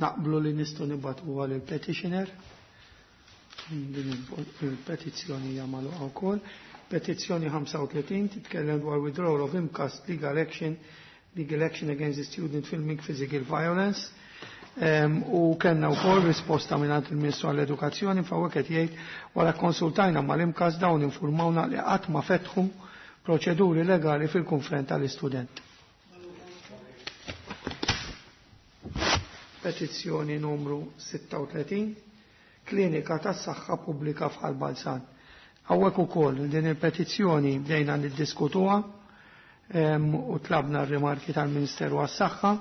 naqblu li nistgħu nibagħtuha lill-petitioner. Din il-petizzjoni hija magħluqa wkoll. Petizzjoni 35 titkellem dwar withdrawal of MCAST legal action against the student filming physical violence. U kellna wkoll risposta mingħand il-Ministru għall-Edukazzjoni fejn qed jgħid wara konsultajna mal-MCAST, dawn informawna li qatt ma fetħu proċeduri legali fil-konfront tal-istudent. Petizzjoni numru 36, Klinika tas-Saħħa Pubblika f'Ħal Balzan. Hawnhekk ukoll din il-petizzjoni bdejna niddiskutuha u tlabna r-rimarki tal-Ministeru għas-Saħħa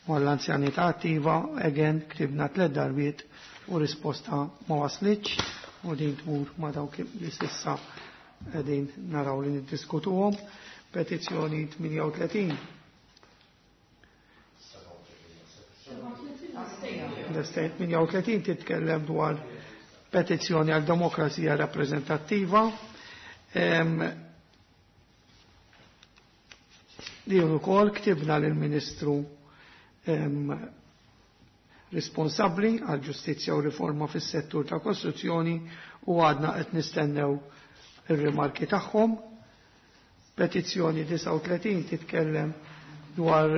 u għall-anzjanità attiva, again ktibna tliet darbiet u risposta ma waslitx u din tmur ma dawk li s'issa qegħdin naraw li niddiskutuhom. Petizzjoni 38. L-estate 38 titkellem dwar petizzjoni għal demokrazija rappreżentattiva. Li ukoll ktibna lill-Ministru responsabbli għal ġustizzja u riforma fis-settur ta' kostruzzjoni u għadna qed nistennew ir-rimarki tagħhom. Petizzjoni 39 titkellem dwar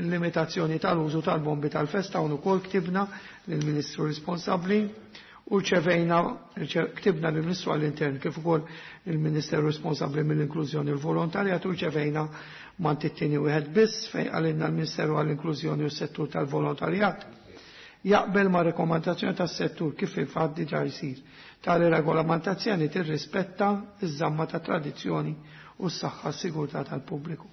limitazzjoni tal-użu tal-bombi tal-festa u ukoll ktibna lill-Ministru responsabbli u rċevejna, ktibna lill-Ministru għall-Intern kif ukoll il-Ministeru responsabbli mill-inklużjoni u l-volontarjat u rċevejna mant it-tieni wieħed biss fejn qalilna l-Ministeru għall-Inklużjoni u s-settur tal-volontarjat jaqbel ma' rekomandazzjoni tas-settur kif il-fatt diġà jsir. Tali regolamentazzjoni tirrispetta iż-żamma ta' tradizzjoni u s-saħħa s-sigurtà tal-pubbliku.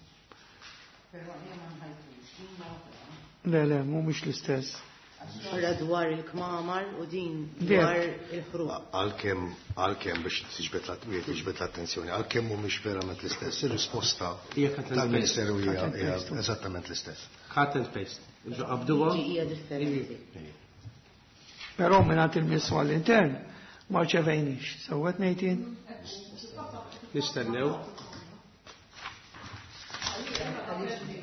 Le, le, mhumiex l-istess. Ora dwar il-kmamar u din dwar il-ħruq. Għalkemm biex tiġbed l-attenzjoni, għalkemm mhumiex verament l-istess, ir-risposta Hija cut and tal-Ministeru paste. hija Cut and hija paste. eżattament l-istess. Cut and paste. Qabduha. Hija differenti. Però mingħand il-Ministru għall-Intern ma rċevejniex. Sewwet ngħid Nistennew.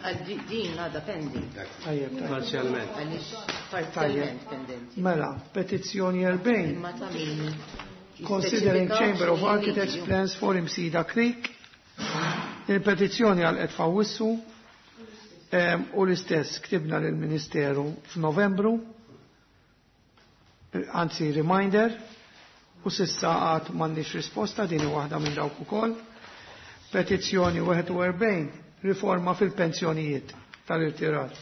Għal din għadha pending. Tajjeb, tajjeb. Parzjalment. Għaliex parzjalment pendenti. Mela, petizzjoni 40. Imma ta' min Considering jispeċifika Chamber of x'inhi Architects liġi. plans for Imsida Creek. Il-petizzjoni għal f'Awwissu u l-istess ktibna lill-Ministeru f'Novembru, anzi reminder, u s'issa għad m'għandniex risposta, din hi waħda minn dawk ukoll. Petizzjoni 41, riforma fil-pensjonijiet tal-irtirar.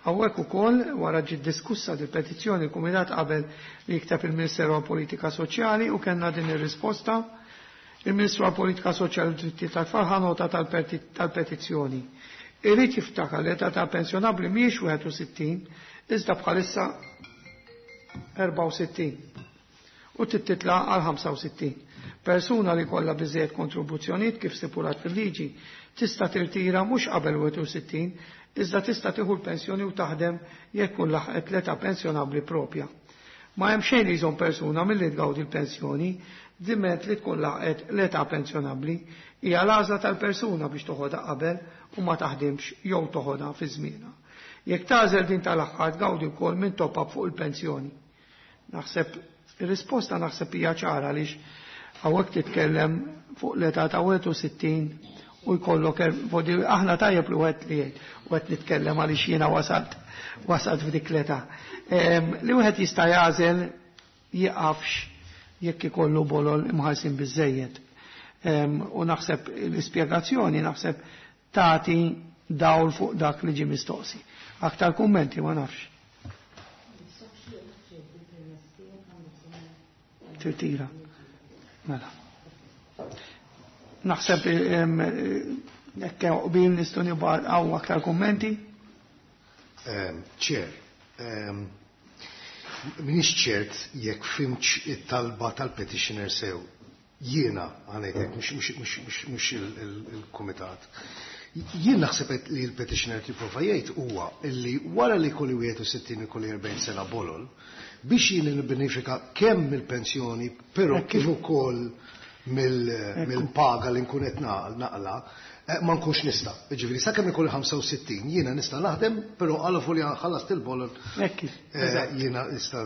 Hawnhekk ukoll wara ġiet diskussa di petizzjoni, il-Kumitat qabel li jikteb il-Ministeru għal Politika Soċjali u kellna din ir-risposta. Il-Ministru għal Politika Soċjali u Drittijiet tat-Tfal ħa nota tal-petizzjoni. Irid jiftakar l-età ta' pensjonabbli mhijiex 61, iżda bħalissa 64 u titla għal 65. Persuna li kollha biżejjed kontribuzzjonijiet kif stipulat fil-liġi tista' tirtira mhux qabel 61 iżda tista' tieħu l-pensjoni u taħdem jekk tkun laħqet l-età pensjonabbli propja. Ma hemm xejn li jżomm persuna milli tgawdi l-pensjoni diment li tkun laqet l-età pensjonabbli. Hija l-għażla tal-persuna biex toħodha qabel u ma taħdimx jew toħodha fi żmienha. Jekk tagħżel din tal-aħħar tgawdi wkoll minn top-up fuq il-pensjoni. Naħseb ir-risposta naħseb hija ċara għaliex hawnhekk titkellem fuq l-età ta' 61 u jkollok aħna tajjeb li wieħed li jgħid u qed nitkellem għaliex jiena wasalt wasalt f'dik l-età. Li wieħed jista' jagħżel jiqafx jekk ikollu bolol imħallsin biżejjed. U naħseb l-ispjegazzjoni naħseb tagħti dawl fuq dak li ġie mistoqsi. Aktar kummenti ma nafx. Tirtira. Mela. Naħseb jekk qbil nistgħu nibgħu aktar kummenti. Chair, m'iniex ċert jekk fhimtx it-talba tal-petitioner sew. Jiena għanejtek, mhux il-kumitat. Jien naħseb li l-petitioner tipprova jgħid huwa illi wara li kolli 61 ikolli 40 sena bolol, biex jien nibbenefika kemm mill-pensjoni, però kif ukoll mill-paga li nkun qed naqla, ma nkunx nista'. Ġifieri sakemm ikolli 65 jiena nista' naħdem, però għal li ħallast il-bolol jiena nista'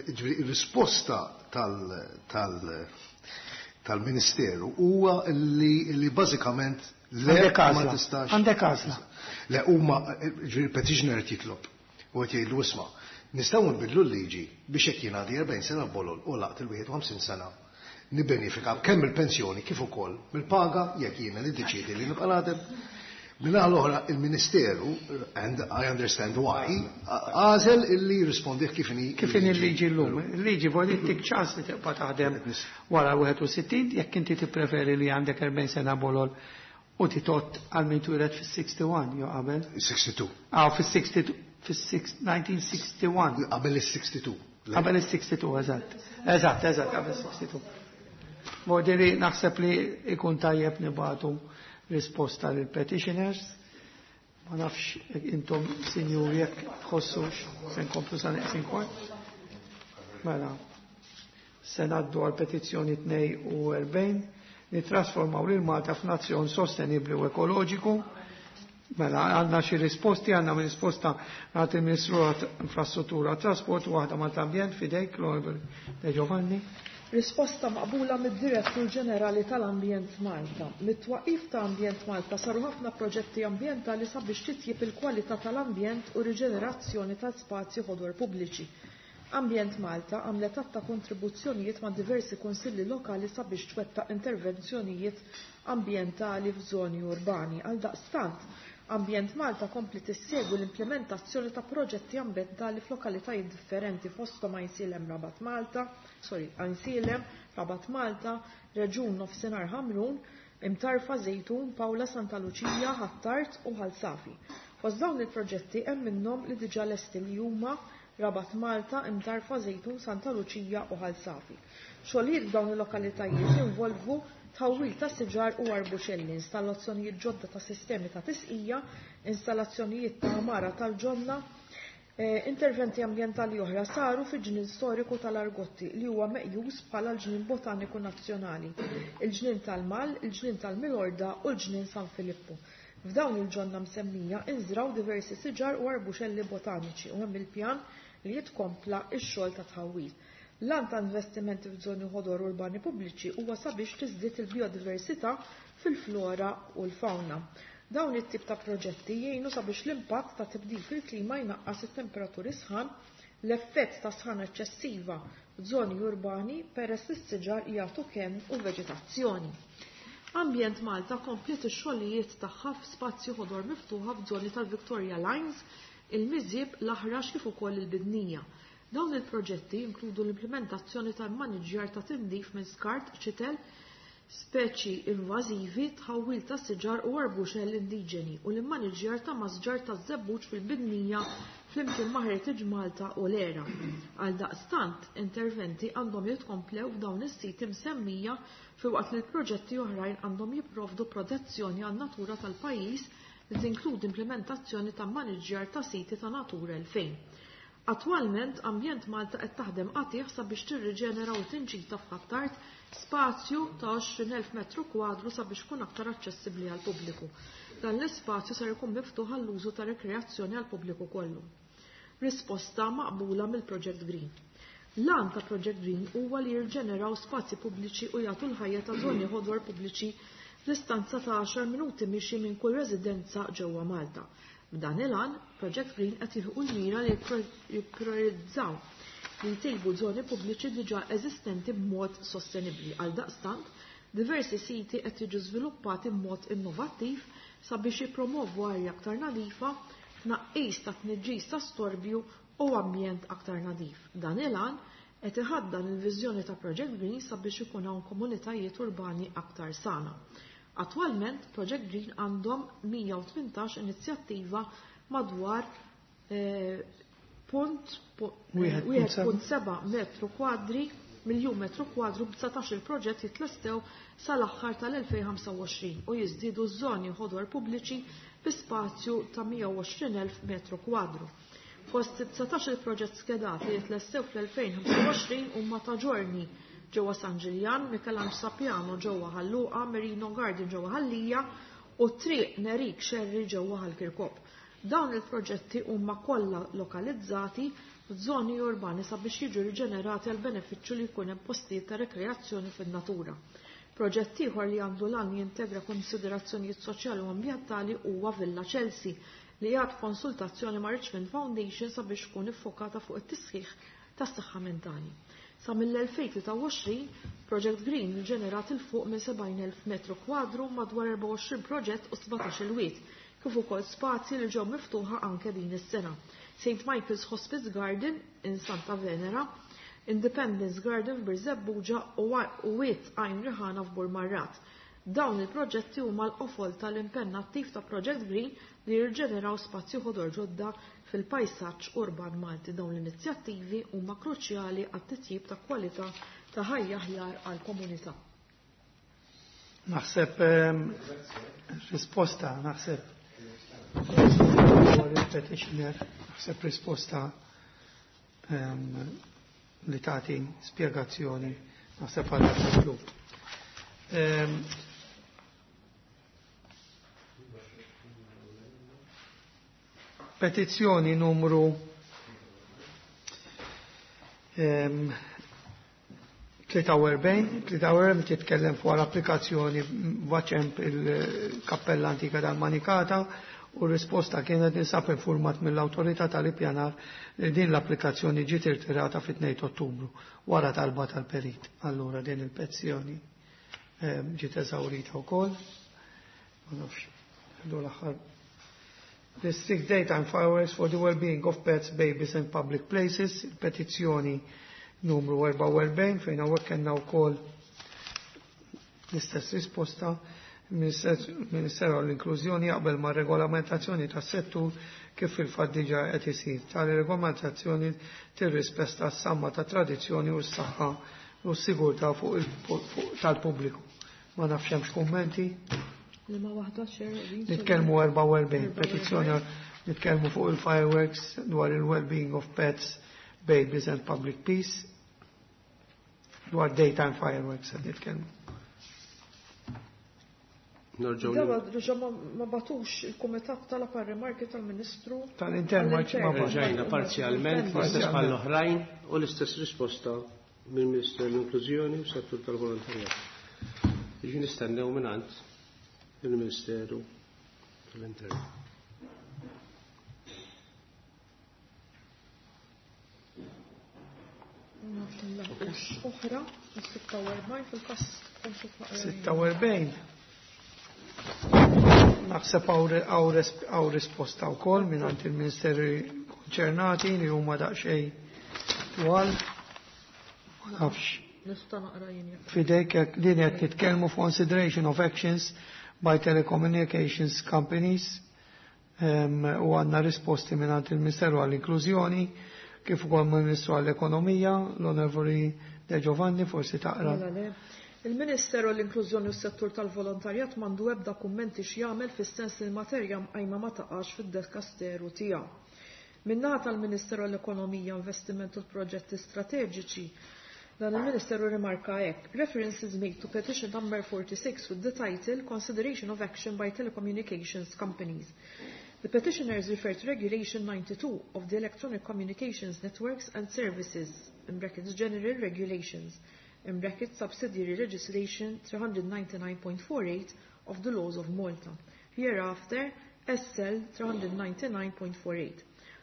Ġifieri ir-risposta tal-Ministeru huwa li bażikament le ma tistax. Għandek għażla. Le huma ġifieri petitioner qed jitlob u qed jgħidlu isma' nistgħu nbidlu l-liġi biex jekk jien għandi 40 sena bolol u laqt il-51 sena nibbenefika kemm il-pensjoni kif ukoll mill-paga jekk jiena niddeċiedi li nibqa' naħdem. Min-naħa l-oħra il-Ministeru, and I understand why, għażel illi jirrispondih kif inhi. Kif inhi l-liġi llum. Il-liġi vuol tik ċans li tibqa' taħdem wara 61 jekk inti tippreferi li għandek 40 sena bolol u titot għal min twieled fis-61 jew qabel. 62. Ah, fis-62 fis-1961. Qabel is-62. Qabel is-62, eżatt. Eżatt, eżatt, qabel is-62. Modeli naħseb li ikun tajjeb nibatu risposta lil petitioners. Ma nafx intom sinjuri jekk tħossux se nkomplu sa neqsin kwart. Mela, se ngħaddu għal petizzjoni 42 nittrasformaw lil Malta f'nazzjon sostenibbli u ekoloġiku. Mela, għandna xi risposti, għandna risposta għat il-Ministru Infrastruttura Trasport u waħda mal-Ambjent fidejk, l De Giovanni. Risposta maqbula mid-Direttur Ġenerali tal-Ambjent Malta. Mit-twaqif ta' Ambjent Malta saru ħafna proġetti ambjentali sabiex titjib il-kwalità tal-ambjent u riġenerazzjoni tal-spazji ħodor pubbliċi. Ambjent Malta għamlet għadd ta' kontribuzzjonijiet ma' diversi kunsilli lokali sabiex twettaq intervenzjonijiet ambjentali f'żoni urbani. Għaldaqstant, Ambjent Malta kompli tissegwi l-implementazzjoni ta' proġetti ambjentali f'lokalitajiet differenti fosthom Għajnsielem Rabat Malta, sorry, Għajnsielem, Rabat Malta, Reġjun Nofsinhar Ħamrun, Imtarfa Żejtun, Pawla Santa Luċija, Ħ'Attard u Ħal Safi. Fost dawn il-proġetti hemm minnhom li diġà lesti li huma Rabat Malta, Imtarfa Żejtun, Santa Luċija u Ħal Safi. Xogħlijiet f'dawn il-lokalitajiet jinvolvu tħawwil ta' siġar u arbuxelli, installazzjonijiet ġodda ta' sistemi ta' tisqija, installazzjonijiet ta' għamara tal-ġonna, interventi ambjentali oħra saru fi ġnien storiku tal-Argotti li huwa meqjus bħala l-ġnien botaniku nazzjonali, il-ġnien tal-Mal, il-ġnien tal-Milorda u l-ġnien San Filippo. F'dawn il-ġonna msemmija inżraw diversi siġar u arbuxelli botaniċi u hemm il-pjan li jitkompla x-xogħol ta' tħawwil. L-għan ta' investimenti f'żoni ħodor urbani pubbliċi huwa sabiex tiżdied il-biodiversità fil-flora u l-fauna. Dawn it-tip ta' proġetti jgħinu sabiex l-impatt ta' tibdil fil-klima jnaqqas it-temperaturi sħan, l-effett ta' sħan eċċessiva f'żoni urbani peress li s-siġar jagħtu kenn u veġetazzjoni. Ambjent Malta kompliet ix-xogħlijiet tagħha f'spazju ħodor miftuħa f'żoni tal-Victoria Lines, il-Miżieb, l-Aħrax kif ukoll il-Bidnija. Dawn il-proġetti jinkludu l-implementazzjoni tal-maniġjar ta' tindif minn skart, ċitel, speċi invażivi, tħawwil ta' siġar u arbuxell indiġeni u l-immaniġjar ta' masġar ta' żebbuġ fil-Bidnija flimkien ma' Heritage Malta u l-ERA. Għaldaqstant, interventi għandhom jitkomplew f'dawn is-siti msemmija filwaqt li l-proġetti oħrajn għandhom jipprovdu protezzjoni għan-natura tal-pajjiż li tinkludi implementazzjoni ta' maniġġjar ta' siti ta' Natura 2000. Attwalment, Ambjent Malta qed taħdem qatigħ sabiex tirriġenera u tinġita f'Ħ'Attard spazju ta' 20,000 metru kwadru sabiex ikun aktar aċċessibbli għall-pubbliku. Dan l-ispazju ser ikun miftuħ għall-użu ta' rekreazzjoni għall-pubbliku kollu. Risposta maqbula mill-Project Green. L-għan ta' Project Green huwa li jirġeneraw spazji pubbliċi u jagħtu l-ħajja ta' żoni ħodor pubbliċi f'distanza ta' 10 minuti mixi minn kull residenza ġewwa Malta. B'dan il-għan, Project Green qed jilħqu l-mira li jippriorizzaw li jtejbu żoni pubbliċi diġà eżistenti b'mod sostenibbli. Għaldaqstant, diversi siti qed jiġu żviluppati b'mod innovattiv sabiex jippromovu arja aktar nadifa, tnaqqis ta' tniġġis ta' storbju u ambjent aktar nadif. Dan il-għan qed iħaddan il-viżjoni ta' Project Green sabiex ikun hawn komunitajiet urbani aktar sana. Attwalment, Project Green għandhom 118 inizjattiva madwar punt 1.7 metru kwadri miljun metru kwadru b'19 il-proġett jitlestew sal-aħħar tal-2025 u jiżdiedu ż-żoni ħodor pubbliċi bi spazju ta' 120,000 metru kwadru. Fost 19 il-proġett skedati li jitlestew fl-2025 huma ta' Ġorni ġewwa San Ġiljan, Michelangelo Sapiano ġewwa Ħal Luqa, Merino Garden ġewwa Ħal Lija u Triq Nerik Xerri ġewwa Ħal Kirkop. Dawn il-proġetti huma kollha lokalizzati f'żoni urbani sabiex jiġu riġenerati għal benefiċċju li jkun hemm postijiet ta' rekreazzjoni fin-natura. Proġett ieħor li għandu l-għan jintegra konsiderazzjonijiet soċjali u ambjentali huwa Villa Chelsea li għad konsultazzjoni ma' Richmond Foundation sabiex tkun iffokata fuq it-tisħiħ tas-saħħa mentali. Sa mill-2023, Project Green ġenerat il fuq minn 70,000 metru kwadru madwar 24 proġett u 17 il-wiet, kif ukoll spazji li ġew miftuħa anke din is-sena. St. Michael's Hospice Garden in Santa Venera, Independence Garden f'Birżebbuġa u Wied Għajn Riħana f'Burmarrat. Dawn il-proġetti huma l-qofol tal-impenn attiv ta' Project Green li jirġeneraw spazju ħodor ġodda fil-pajsaġġ urban Malti. Dawn l-inizjattivi huma kruċjali għat-titjib ta' kwalità ta' ħajja aħjar għall-komunità. Naħseb risposta, naħseb il-petitioner, naħseb risposta li tagħti spjegazzjoni, naħseb għal mitlub. Petizzjoni numru 43, 43 titkellem fuq l-applikazzjoni vaċemp il-kappella antika tal-Manikata u r-risposta kienet ninsab informat mill-autorità tal-ippjanar li din l-applikazzjoni ġiet irtirata fit-2 Ottubru wara talba tal-perit. Allura din il-petizzjoni ġiet eżawrita wkoll. Ma nafx, l-aħħar. Restrict daytime fireworks for the well-being of pets, babies and public places, il-petizzjoni numru 44 fejn hawnhekk kellna wkoll l-istess risposta. Il-Ministeru għall-Inklużjoni jaqbel ma' regolamentazzjoni tas-settur kif fil-fatt diġà qed isir. Tali regolamentazzjoni tirrispetta s-samma ta' tradizzjoni u s-saħħa u s-sigurtà fuq tal-pubbliku. Ma nafx hemmx kummenti. Liema waħda xer? Nitkellmu 44 petizzjoni nitkellmu fuq il-fireworks dwar il-well-being of pets, babies and public peace. Dwar daytime fireworks qed nitkellmu. Nerġgħu Dawa diġà ma batux il-kumitat talab rimarki tal-Ministru Tal-intern ma Rġajna parzjalment l-istess bħall-oħrajn u l-istess risposta mill-Ministeru l-Inklużjoni u settur tal-Volontarjat. Jiġi nistennew mingħand il-Ministeru tal-Intern. Oħra, 46 fil-kas 46. Naħseb hawn risposta wkoll mingħand il-Ministeri konċernati li huma daqsxejn twal. Ma nafx. Nista' naqra jien jekk. Fidejk jekk din qed nitkellmu consideration of actions by telecommunications companies. U għandna risposti mingħand il-Ministeru għall-Inklużjoni, kif ukoll mill-Ministru għall-Ekonomija, l-Onorevoli De Giovanni, forsi taqra. Mela le. Il-Ministeru għall-Inklużjoni u s-Settur tal-Volontarjat m'għandu ebda kummenti x'jagħmel fis-sens li l-materja mqajma ma taqax fid-dekasteru tiegħu. Min-naħa tal-Ministeru għall-Ekonomija, Investiment u l-Proġetti Strateġiċi, dan il-Ministeru rimarka hekk. Reference is made to petition number 46 with the title Consideration of Action by Telecommunications Companies. The petitioners refer to Regulation 92 of the Electronic Communications Networks and Services, in brackets General Regulations, in brackets Subsidiary Legislation 399.48 of the Laws of Malta. Hereafter, SL 399.48.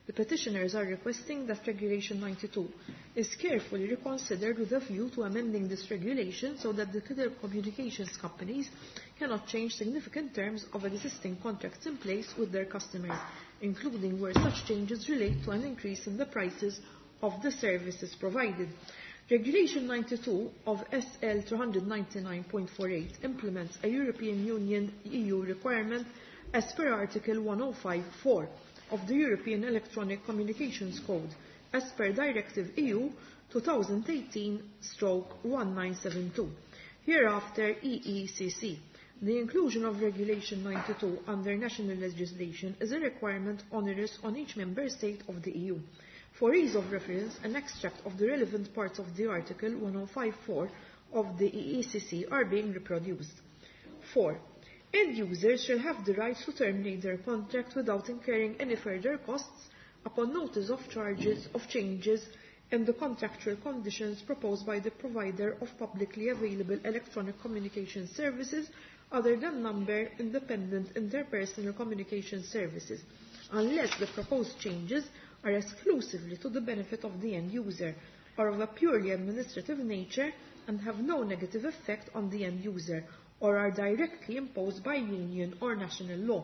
The petitioners are requesting that Regulation 92 is carefully reconsidered with a view to amending this regulation so that the telecommunications companies cannot change significant terms of existing contracts in place with their customers, including where such changes relate to an increase in the prices of the services provided. Regulation 92 of SL 399.48 implements a European Union EU requirement as per Article 105.4 of the European Electronic Communications Code as per Directive EU 2018-1972, hereafter EECC. The inclusion of Regulation 92 under national legislation is a requirement onerous on each member state of the EU. For ease of reference, an extract of the relevant parts of the Article 1054 of the EECC are being reproduced. 4. End users shall have the right to terminate their contract without incurring any further costs upon notice of charges of changes in the contractual conditions proposed by the provider of publicly available electronic communication services other than number independent interpersonal communication services, unless the proposed changes are exclusively to the benefit of the end user or of a purely administrative nature and have no negative effect on the end user or are directly imposed by union or national law.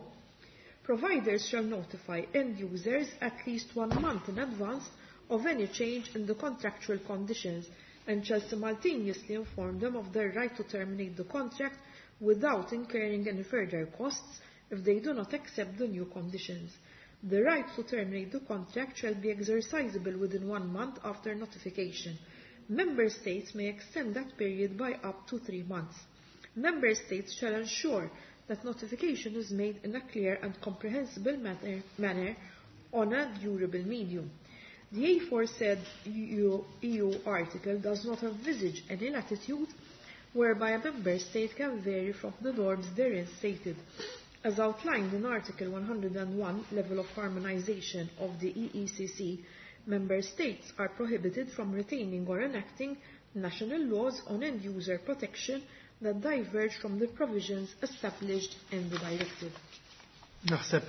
Providers shall notify end users at least 1 month in advance of any change in the contractual conditions and shall simultaneously inform them of their right to terminate the contract without incurring any further costs if they do not accept the new conditions. The right to terminate the contract shall be exercisable within 1 month after notification. Member states may extend that period by up to 3 months. Member states shall ensure that notification is made in a clear and comprehensible manner on a durable medium. The aforesaid EU article does not envisage any latitude whereby a member state can vary from the norms therein stated. As outlined in Article 101, level of harmonization of the EECC, member states are prohibited from retaining or enacting national laws on end-user protection that diverge from the provisions established in the directive. Naħseb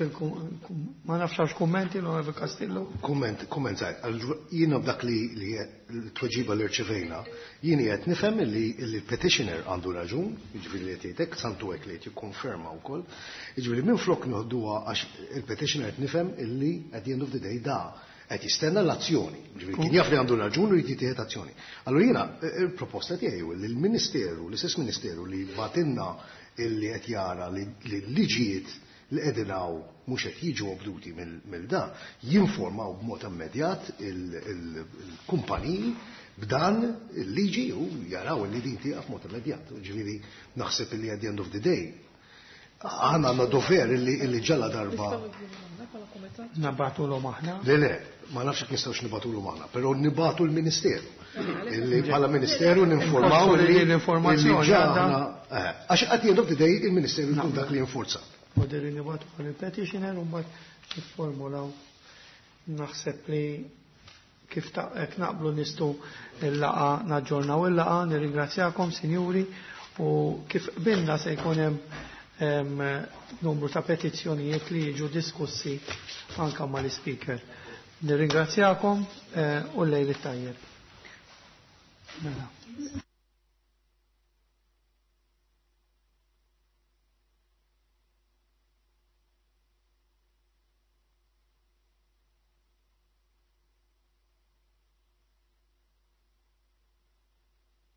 ma nafx għax kummenti l-Onorevoli Castillo. Kumment, kumment żgħir. Jiena b'dak li l-tweġiba li rċevejna, jien qed nifhem li l-petitioner għandu raġun, jiġifieri li qed jgħidlek, santu hekk li qed jikkonferma wkoll. Jiġifieri minflok noħduha għax il-petitioner qed nifhem illi at the end of the day da qed jistenna l-azzjoni. Jiġifieri kien jaf li għandu raġun u jrid jittieħed azzjoni. Allura jiena il-proposta tiegħi hu li l-Ministeru, l-istess Ministeru li batinna illi qed jara li l-liġijiet li qegħdin hawn mhux qed jiġu obduti mill-da, jinformaw b'mod immedjat il-kumpaniji b'dan il-liġi u jaraw li din tieqaf b'mod immedjat. Ġifieri naħseb li at the end of the day aħna għandna dover illi ġalla darba. Nabgħatulhom aħna? Le, ma nafx jekk nistgħux nibgħatulhom aħna, però nibgħatu l-Ministeru. Illi bħala Ministeru ninformaw li l-informazzjoni ġa aħna, għax at the end of the day il-Ministeru jkun dak li jinforza. Poderi nibgħatu għal il-petitioner u mbagħad nifformulaw. Naħseb li kif hekk naqblu nistgħu il-laqa naġġornaw il-laqa, nirringrazzjakom sinjuri u kif qbilna se jkun hemm numru ta' petizzjonijiet li jiġu diskussi anka mal-speaker. Nirringrazzjakom u lejl it-tajjeb. Mela.